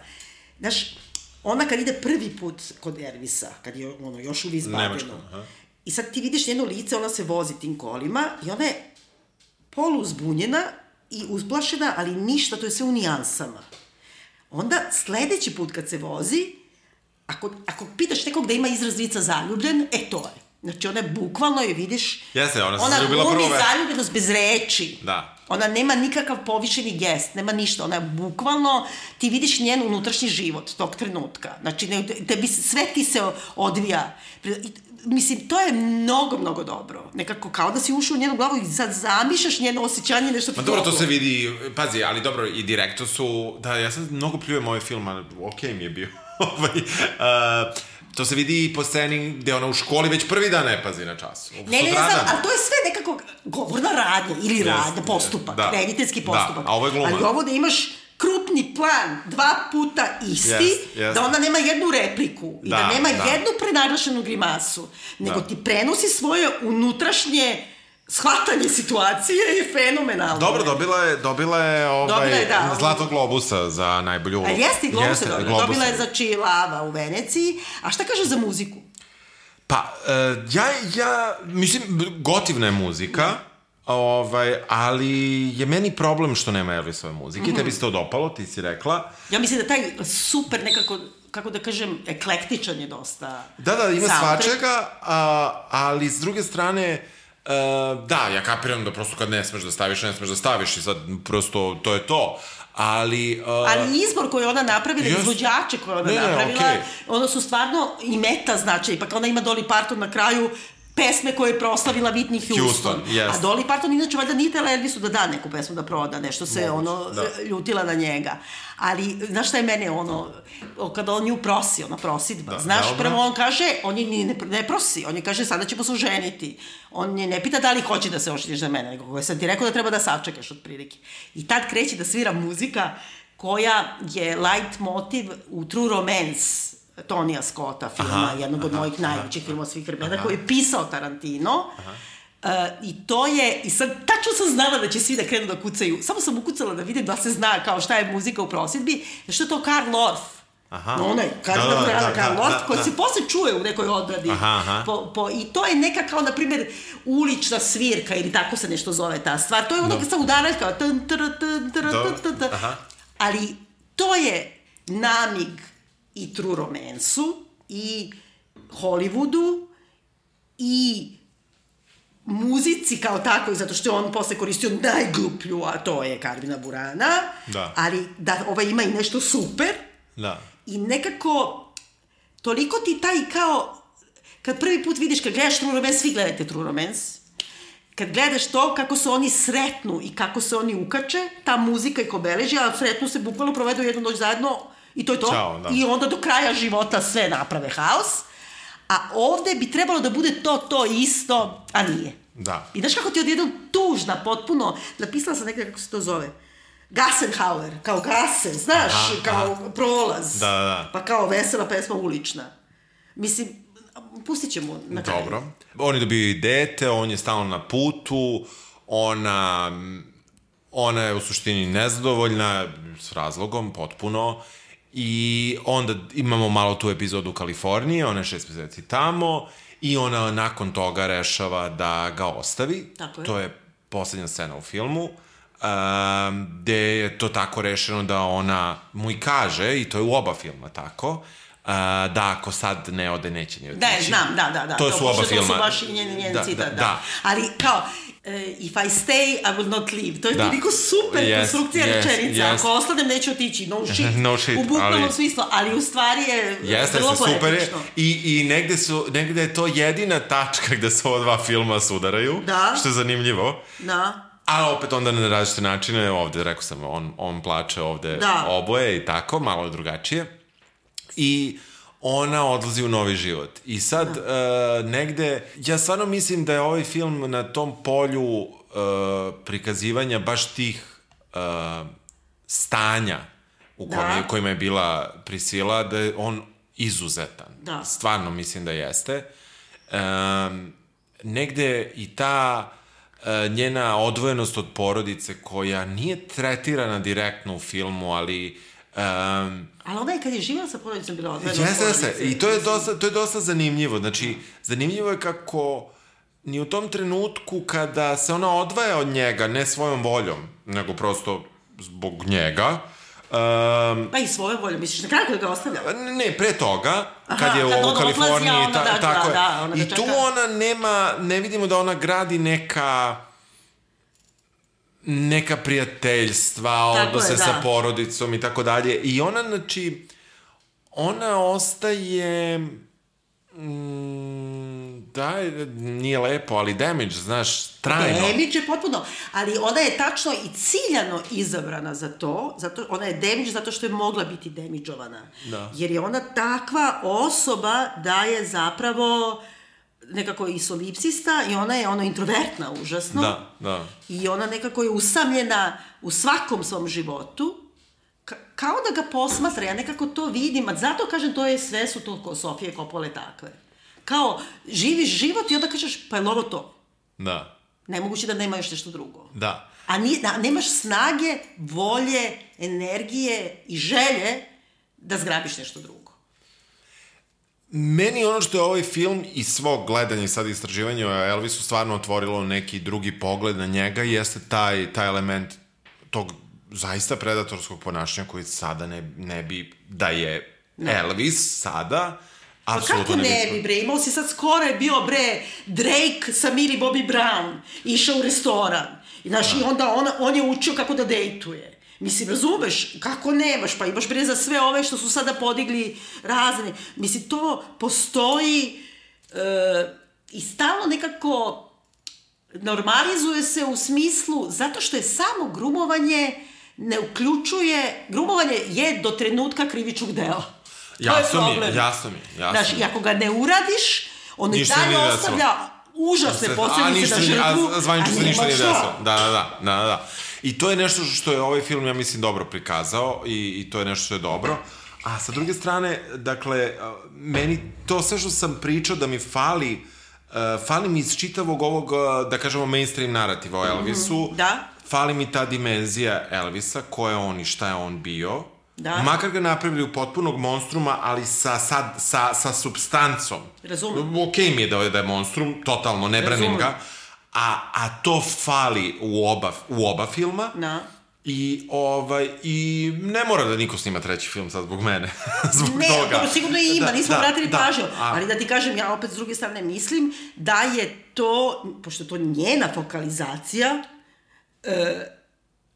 Znaš, ona kad ide prvi put kod Elvisa, kad je ono, još uvijek izbavljeno, i sad ti vidiš njeno lice, ona se vozi tim kolima i ona je poluzbunjena i uzplašena, ali ništa, to je sve u nijansama. Onda, sledeći put kad se vozi, ako, ako pitaš nekog da ima izraz lica zaljubljen, e to je. Znači, ona je bukvalno, je vidiš, Jeste, ona, ona glumi prve... zaljubljenost bez reči. Da. Ona nema nikakav povišeni gest, nema ništa. Ona je bukvalno, ti vidiš njen unutrašnji život tog trenutka. Znači, ne, tebi, sve ti se odvija. Mislim, to je mnogo, mnogo dobro. Nekako kao da si ušao u njenu glavu i sad zamišljaš njeno osjećanje, nešto... Ma dobro, to se vidi, pazi, ali dobro, i direktno su, da, ja sam mnogo pljujem ovaj film, ali okej mi je bio. ovaj, uh, to se vidi i po sceni gde ona u školi već prvi dan ne pazi na času. Ne, ne, ne znam, ali to je sve nekako govorna radnja ili radnja, postupak, da. rediteljski postupak. Da, a ovo je gluma. Ali ovo da imaš krupni plan, dva puta isti, yes, yes. Da ona nema jednu repliku i da, da nema da. jednu prenaglašenu grimasu, nego da. ti prenosi svoje unutrašnje shvatanje situacije je fenomenalno. Dobro, dobila je, dobila je, ovaj, dobila je da, Zlatog globusa za najbolju ulogu. A jeste i globus je dobila. Dobila je za Čilava u Veneciji. A šta kaže za muziku? Pa, uh, ja, ja, mislim, gotivna je muzika, da. ovaj, ali je meni problem što nema Elvisove muzike. Mm-hmm. Tebi se to dopalo, ti si rekla. Ja mislim da taj super nekako, kako da kažem, eklektičan je dosta. Da, da, ima svačega, a, ali s druge strane... Uh, da, ja kapiram da prosto kad ne smeš da staviš, ne smeš da staviš i sad prosto to je to, ali... Uh, ali izbor koji ona napravila, yes. izvođače koje ona ne, napravila, okay. ono su stvarno i meta značaj, pa ona ima Dolly Parton na kraju, pesme koje je proslavila Whitney Houston. Houston, yes. A Dolly Parton inače valjda nije tela Elvisu da da neku pesmu da proda, nešto se Moguće, ono da. ljutila na njega. Ali, znaš šta je mene ono, kada on nju prosi, ona prosidba, Da, znaš, dobro. prvo on kaže, on je ni ne, ne prosi, on je kaže sada ćemo se oženiti. On je ne pita da li hoće da se oženiš za mene, nego koje sam ti rekao da treba da sačekaš otprilike. I tad kreće da svira muzika koja je light motiv u True Romance Tonija Scotta filma, aha, jednog od aha, mojih najvećih filmova svih vremena, koji je pisao Tarantino. Aha. Uh, i to je, i sad tačno sam znala da će svi da krenu da kucaju, samo sam ukucala da vidim da se zna kao šta je muzika u prosjedbi, što je to Karl Orff. Aha. No, onaj, Karl Orff, da, da, Karl Orff, da, koji da. se posle čuje u nekoj odbradi. Aha, aha. Po, po, I to je neka kao, na primjer, ulična svirka, ili tako se nešto zove ta stvar. To je ono no. sa udaraljka, ali to je namig i True Romance-u, i Hollywoodu, i muzici kao tako, zato što je on posle koristio najgluplju, a to je Carmina Burana, da. Ali da ova ima i nešto super, da. I nekako toliko ti taj kao, kad prvi put vidiš, kad gledaš True Romance, svi gledajte True Romance, kad gledaš to kako se oni sretnu i kako se oni ukače, ta muzika i ko beleži, a sretnu se bukvalno provedu jednu noć zajedno i to je to. Ćao, da. I onda do kraja života sve naprave haos. A ovde bi trebalo da bude to, to isto, a nije. Da. I znaš kako ti odjednom tužna, potpuno, napisala sam nekada kako se to zove, Gassenhauer, kao Gassen, znaš, aha, kao aha. prolaz. Da, da. Pa kao vesela pesma ulična. Mislim, pustit ćemo na kraju. Dobro. On je dobio dete, on je stalno na putu, ona, ona je u suštini nezadovoljna, s razlogom, potpuno. I onda imamo malo tu epizodu u Kaliforniji, ona je šest meseci tamo i ona nakon toga rešava da ga ostavi. Tako je. To je poslednja scena u filmu, um, gde je to tako rešeno da ona mu i kaže, i to je u oba filma tako, uh, da ako sad ne ode, neće ni otići. Da, znam, da, da. da. To, to su oba filma. To su baš i njen, njen da, citat, da, da. da. Ali kao, Uh, if I stay, I will not leave. To je toliko super yes, konstrukcija yes, rečenica. Yes. Ako ostanem, neću otići. No shit. no shit. U bukvalnom ali... smislu. Ali u stvari je Jeste, vrlo poetično. I, i negde, su, negde je to jedina tačka gde se ova dva filma sudaraju. Da. Što je zanimljivo. Da. A opet onda na različite načine. Ovde, rekao sam, on, on plače ovde da. Oboje i tako. Malo drugačije. I ona odlazi u novi život. I sad, uh, negde, ja stvarno mislim da je ovaj film na tom polju uh, prikazivanja baš tih uh, stanja u kojima, kojima je bila Priscilla, da je on izuzetan. Da. Stvarno mislim da jeste. Um, negde i ta uh, njena odvojenost od porodice koja nije tretirana direktno u filmu, ali Um, ali ona je kad je živjela sa porodicom bila odvedena jeste, jeste. I to je, dosta, to je dosta zanimljivo. Znači, zanimljivo je kako ni u tom trenutku kada se ona odvaja od njega, ne svojom voljom, nego prosto zbog njega. Um, pa i svojom voljom, misliš, na kraju kada ga ostavlja? Ne, pre toga, aha, kad je kad u Kaliforniji, odlazi, ta, da, tako da, da, ona i tu ona nema, ne vidimo da ona gradi neka neka prijateljstva, odnose sa porodicom i tako dalje. I ona, znači, ona ostaje mm, da, nije lepo, ali damage, znaš, trajno. Damage je potpuno, ali ona je tačno i ciljano izabrana za to, zato, ona je damage zato što je mogla biti damageovana. Da. Jer je ona takva osoba da je zapravo nekako i solipsista i ona je ono introvertna užasno. Da, da. I ona nekako je usamljena u svakom svom životu, ka- kao da ga posmatra, ja nekako to vidim, a zato kažem to je sve su to ko Sofije Coppole takve. Kao, živiš život i onda kažeš, pa je ovo to? Da. Nemoguće da nema još nešto drugo. Da. A nije, da, nemaš snage, volje, energije i želje da zgrabiš nešto drugo. Meni ono što je ovaj film i svog gledanja i sad istraživanja o Elvisu stvarno otvorilo neki drugi pogled na njega jeste taj, taj element tog zaista predatorskog ponašanja koji sada ne, ne bi da je ne. Elvis sada. Pa kako ne, ne bi bre, imao si sad skoro je bio bre Drake sa Millie Bobby Brown, išao u restoran i, znaš, i onda on, on je učio kako da dejtuje. Mislim, razumeš, kako nemaš, pa imaš bre za sve ove što su sada podigli razne. Mislim, to postoji, uh, i stalno nekako normalizuje se u smislu, zato što je samo grumovanje ne uključuje, grumovanje je do trenutka krivičnog dela. Jasno mi je, jasno mi je. Znaš, i ako ga ne uradiš, on i dalje ostavlja užasne posljedice na žrtvu. A zvanično se ništa nije desilo. Da, da, da, da, da. I to je nešto što je ovaj film, ja mislim, dobro prikazao i, i to je nešto što je dobro. A sa druge strane, dakle, meni to sve što sam pričao da mi fali, uh, fali mi iz čitavog ovog, da kažemo, mainstream narativa o Elvisu. Mm, da. Fali mi ta dimenzija Elvisa, ko je on i šta je on bio. Da. Makar ga napravili u potpunog monstruma, ali sa, sa, sa, sa substancom. Razumem. Okej mi je da je, da je monstrum, totalno, ne branim ga. A, a to fali u oba, u oba filma. Da. I, ovaj, i ne mora da niko snima treći film sad zbog mene. zbog ne, toga. dobro, sigurno i ima, da, nismo da, vratili da, pažnju. a... Ali da ti kažem, ja opet s druge strane mislim da je to, pošto je to njena fokalizacija, e,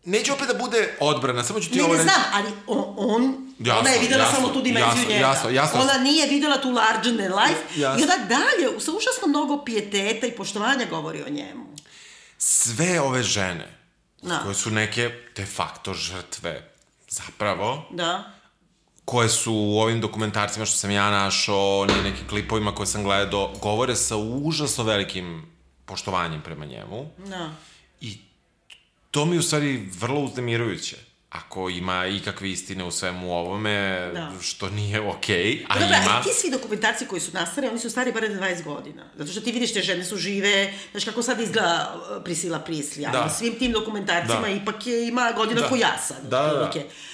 neće opet da bude odbrana, samo ću ti ne, ovo reći... Ne, ne reći... znam, ali on, on jasno, ona je videla jasno, samo tu dimenziju jasno, njega. Jasno, jasno. Ona nije videla tu larger than life. Jasno. I onda dalje, sa užasno mnogo pijeteta i poštovanja govori o njemu. Sve ove žene, da. koje su neke de facto žrtve, zapravo, da. koje su u ovim dokumentarcima što sam ja našao, ni nekim klipovima koje sam gledao, govore sa užasno velikim poštovanjem prema njemu. Da. I to mi je u stvari vrlo uznemirujuće. Ako ima ikakve istine u svemu ovome, da. Što nije okej, okay, a Dobre, ima... Dobre, i ti svi dokumentarci koji su nastali, oni su stari bare dvadeset godina. Zato što ti vidiš te žene su žive, znaš kako sad izgleda Priscila Prislija. Da. Na svim tim dokumentarcima da. Ipak je, ima godina da. Ko ja sad. Da, da, da.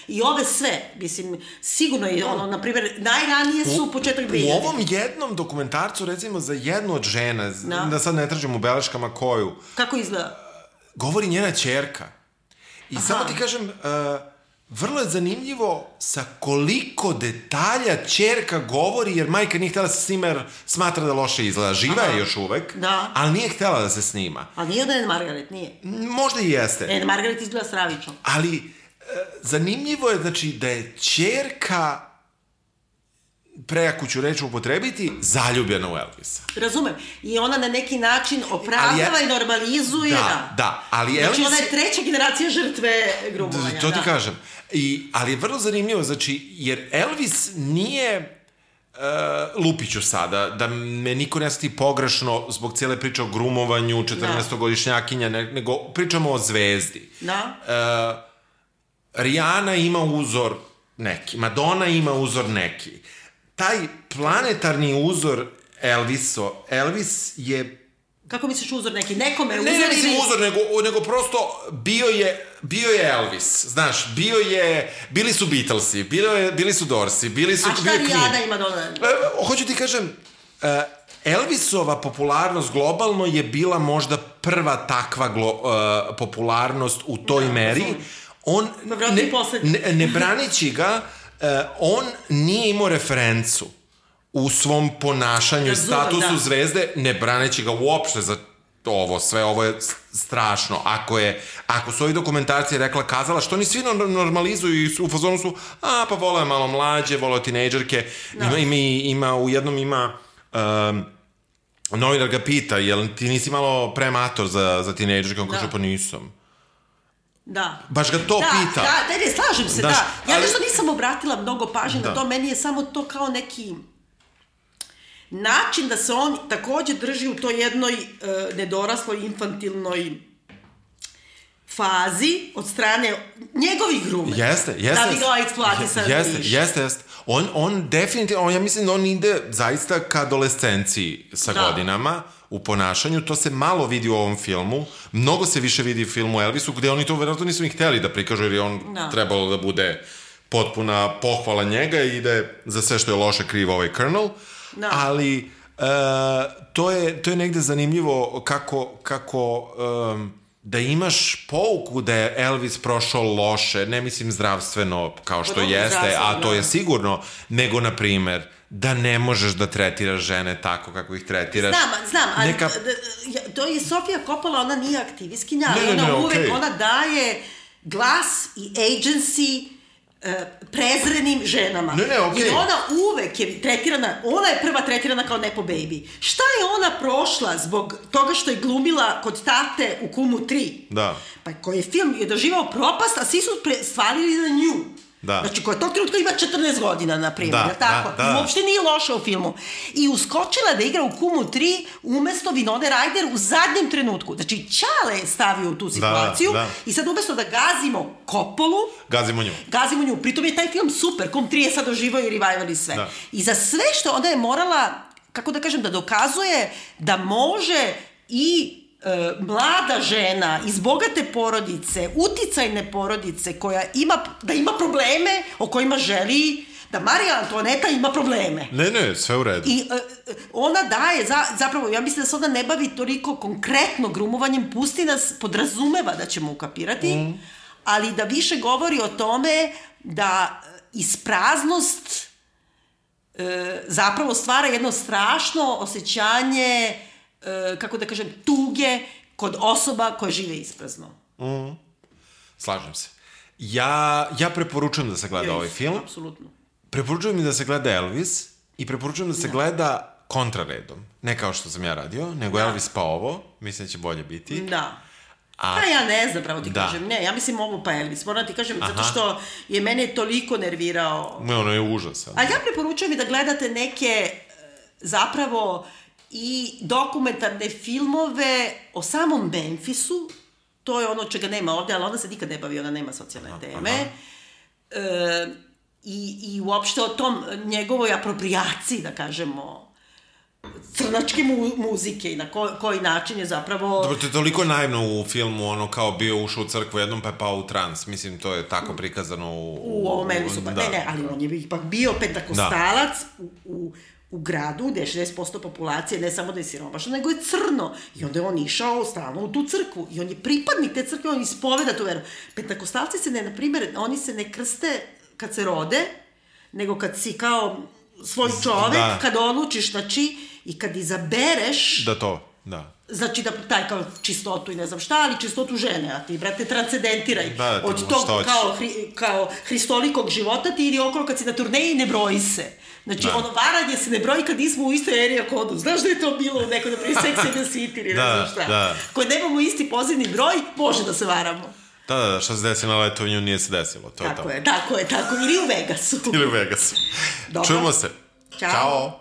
I ove sve, mislim, sigurno je ono, na primjer, najranije su u, početak dve hiljade. U ovom jednom dokumentarcu, recimo, za jednu od žena, da, da sad ne tražim u beleškama koju... Kako izgleda? Govori njena ćerka. I aha. Samo ti kažem, uh, vrlo je zanimljivo sa koliko detalja ćerka govori, jer majka nije htjela da se snima jer smatra da loše izgleda. Živa aha. Je još uvek, da. Ali nije htjela da se snima. Ali nije da je Margaret, nije. Možda i jeste. E, Margaret izgleda stravično. Ali uh, zanimljivo je, znači, da je ćerka, prejaku ću reći upotrebiti, zaljubljena u Elvisa. Razumem. I ona na neki način opravdava ja, i normalizuje. Da, da. Ali znači, Elvis... ona je treća generacija žrtve grubovanja. To ti da. kažem. I, ali je vrlo zanimljivo, znači, jer Elvis nije... Uh, lupiću sada, da me niko ne shvati pogrešno zbog cijele priče o grumovanju, četrnaestogodišnjakinja, nego pričamo o zvezdi. Da. Uh, Rihanna ima uzor neki, Madonna ima uzor neki. Taj planetarni uzor Elviso, Elvis je... Kako misliš uzor neki? Nekome uzor? Ne, ne mislim uzor, nego, nego prosto bio je, bio je Elvis, znaš, bio je, bili su Beatlesi, bilo je, bili su Dorsi, bili su... A šta Rihanna ima Madonna? E, hoću ti kažem, Elvisova popularnost globalno je bila možda prva takva glo, uh, popularnost u toj da, meri. On, ne, ne, ne branići ga, Uh, on nije imao referencu u svom ponašanju i statusu da. Zvezde, ne braneći ga uopšte za ovo, sve ovo je strašno. Ako je, ako su ovi dokumentarci rekla, kazala, što oni svi normalizuju i u fazonu su, a pa voleo je malo mlađe, voleo tinejdžerke, da. ima, ima, ima, u jednom ima, um, novinar ga pita, jel ti nisi malo premator za, za tinejdžerke, on da. Kaže, pa nisam. Da. Baš ga to da, pita. Da, da, ne, slažem se, Daš, da. Ja ali... nešto nisam obratila mnogo pažnje na to, meni je samo to kao neki način da se on također drži u toj jednoj uh, nedorasloj, infantilnoj fazi od strane njegovih grume. Jeste, jeste. Da bi ga eksploatisali više. Jeste, jeste, jeste. On, on definitivno, on, ja mislim da on ide zaista ka adolescenciji sa da. Godinama u ponašanju, to se malo vidi u ovom filmu, mnogo se više vidi u filmu Elvisu, gde oni to vjerojatno nisu ni htjeli da prikažu, jer je on da. Trebalo da bude potpuna pohvala njega i da je za sve što je loše kriv ovaj Colonel, da. Ali uh, to, je, to je negde zanimljivo kako, kako um, da imaš pouku da je Elvis prošao loše, ne mislim zdravstveno kao što jeste, a to je sigurno, nego na primer da ne možeš da tretiraš žene tako kako ih tretiraš. Znam, znam, ali Neka... to je Sofia Coppola, ona nije aktivistkinja, ne, ona ne, uvek, okay. ona daje glas i agency prezrenim ženama. Ne, ne, okej. Jer ona uvek je tretirana, ona je prva tretirana kao nepo baby. Šta je ona prošla zbog toga što je glumila kod tate u Kumu tri? Da. Pa koji je film je doživao propast, a svi su stvarili na nju. Da. Znači, koja tog trenutka ima četrnaest godina, na primjer, da, tako? Da, da. I uopšte nije loša u filmu. I uskočila da igra u Kumu tri umesto Winona Ryder u zadnjem trenutku. Znači, Ćale je stavio u tu situaciju, da, da. i sad umesto da gazimo Coppolu, Gazimo nju. Gazimo nju. Pritom je taj film super, Kum tri je sad oživao i revival i sve. Da. I za sve što ona je morala, kako da kažem, da dokazuje da može i E, mlada žena iz bogate porodice, uticajne porodice koja ima, da ima probleme o kojima želi da Marija Antoaneta ima probleme. Ne, ne, sve u redu. I e, ona daje, za, zapravo, ja mislim da se ona ne bavi toliko konkretno grumovanjem, pusti nas, podrazumeva da ćemo ukapirati, mm. ali da više govori o tome da ispraznost e, zapravo stvara jedno strašno osjećanje, kako da kažem, tuge kod osoba koje žive isprazno. Mm. Slažem se. Ja, ja preporučujem da se gleda yes, ovaj film. Apsolutno. Preporučujem i da se gleda Elvis i preporučujem da se da. gleda kontraredom. Ne kao što sam ja radio, nego da. Elvis pa ovo. Mislim da će bolje biti. Da. A... Pa ja ne znam, pravo ti da. kažem. Ne, ja mislim ovo pa Elvis. Moram ti kažem, Aha. zato što je mene toliko nervirao. Ne, ono je užasan. Ali ja preporučujem i da gledate neke zapravo i dokumentarne filmove o samom Memphisu, to je ono čega nema ovde, ali ona se nikad ne bavi, ona nema socijalne teme, e, i, i uopšte o tom njegovoj apropriaciji, da kažemo, crnačke mu, muzike i na ko, koji način je zapravo... Dobro, to je toliko naivno u filmu, ono kao bio ušao u crkvu jednom pa je pao u trans, mislim, to je tako prikazano u... U, u ovom Elvisu, pa da. ne, ne, ali on je ipak bio pentakostalac da. u... u u gradu gde je šezdeset posto populacije, ne samo da je siromašno, nego je crno. I onda je on išao stalno u tu crkvu. I on je pripadnik te crkve, on ispoveda tu veru. Pentakostalci se ne, na primjer, oni se ne krste kad se rode, nego kad si kao svoj čovek, da. kad odlučiš, znači, i kad izabereš... Da to, da. Znači da taj kao čistotu i ne znam šta, ali čistotu žene, a ti, brate, transcendentiraj. Da, da, od tog kao, hri, kao hristolikog života ti idi okolo kad si na turneji, ne broji se. Znači, da. ono varanje se ne broji kad nismo u istoj area kodu. Znaš da je to bilo u nekoj, naprijed, Sex and the City ili ne znam šta. Da. Koje nemamo isti pozivni broj, može da se varamo. Da, da, da, što se desi na letovanju nije se desilo. To tako je, je, tako je, tako. Ili u Vegasu. Ili u Vegasu. Dobro. Čujemo se. Ćao. Ćao.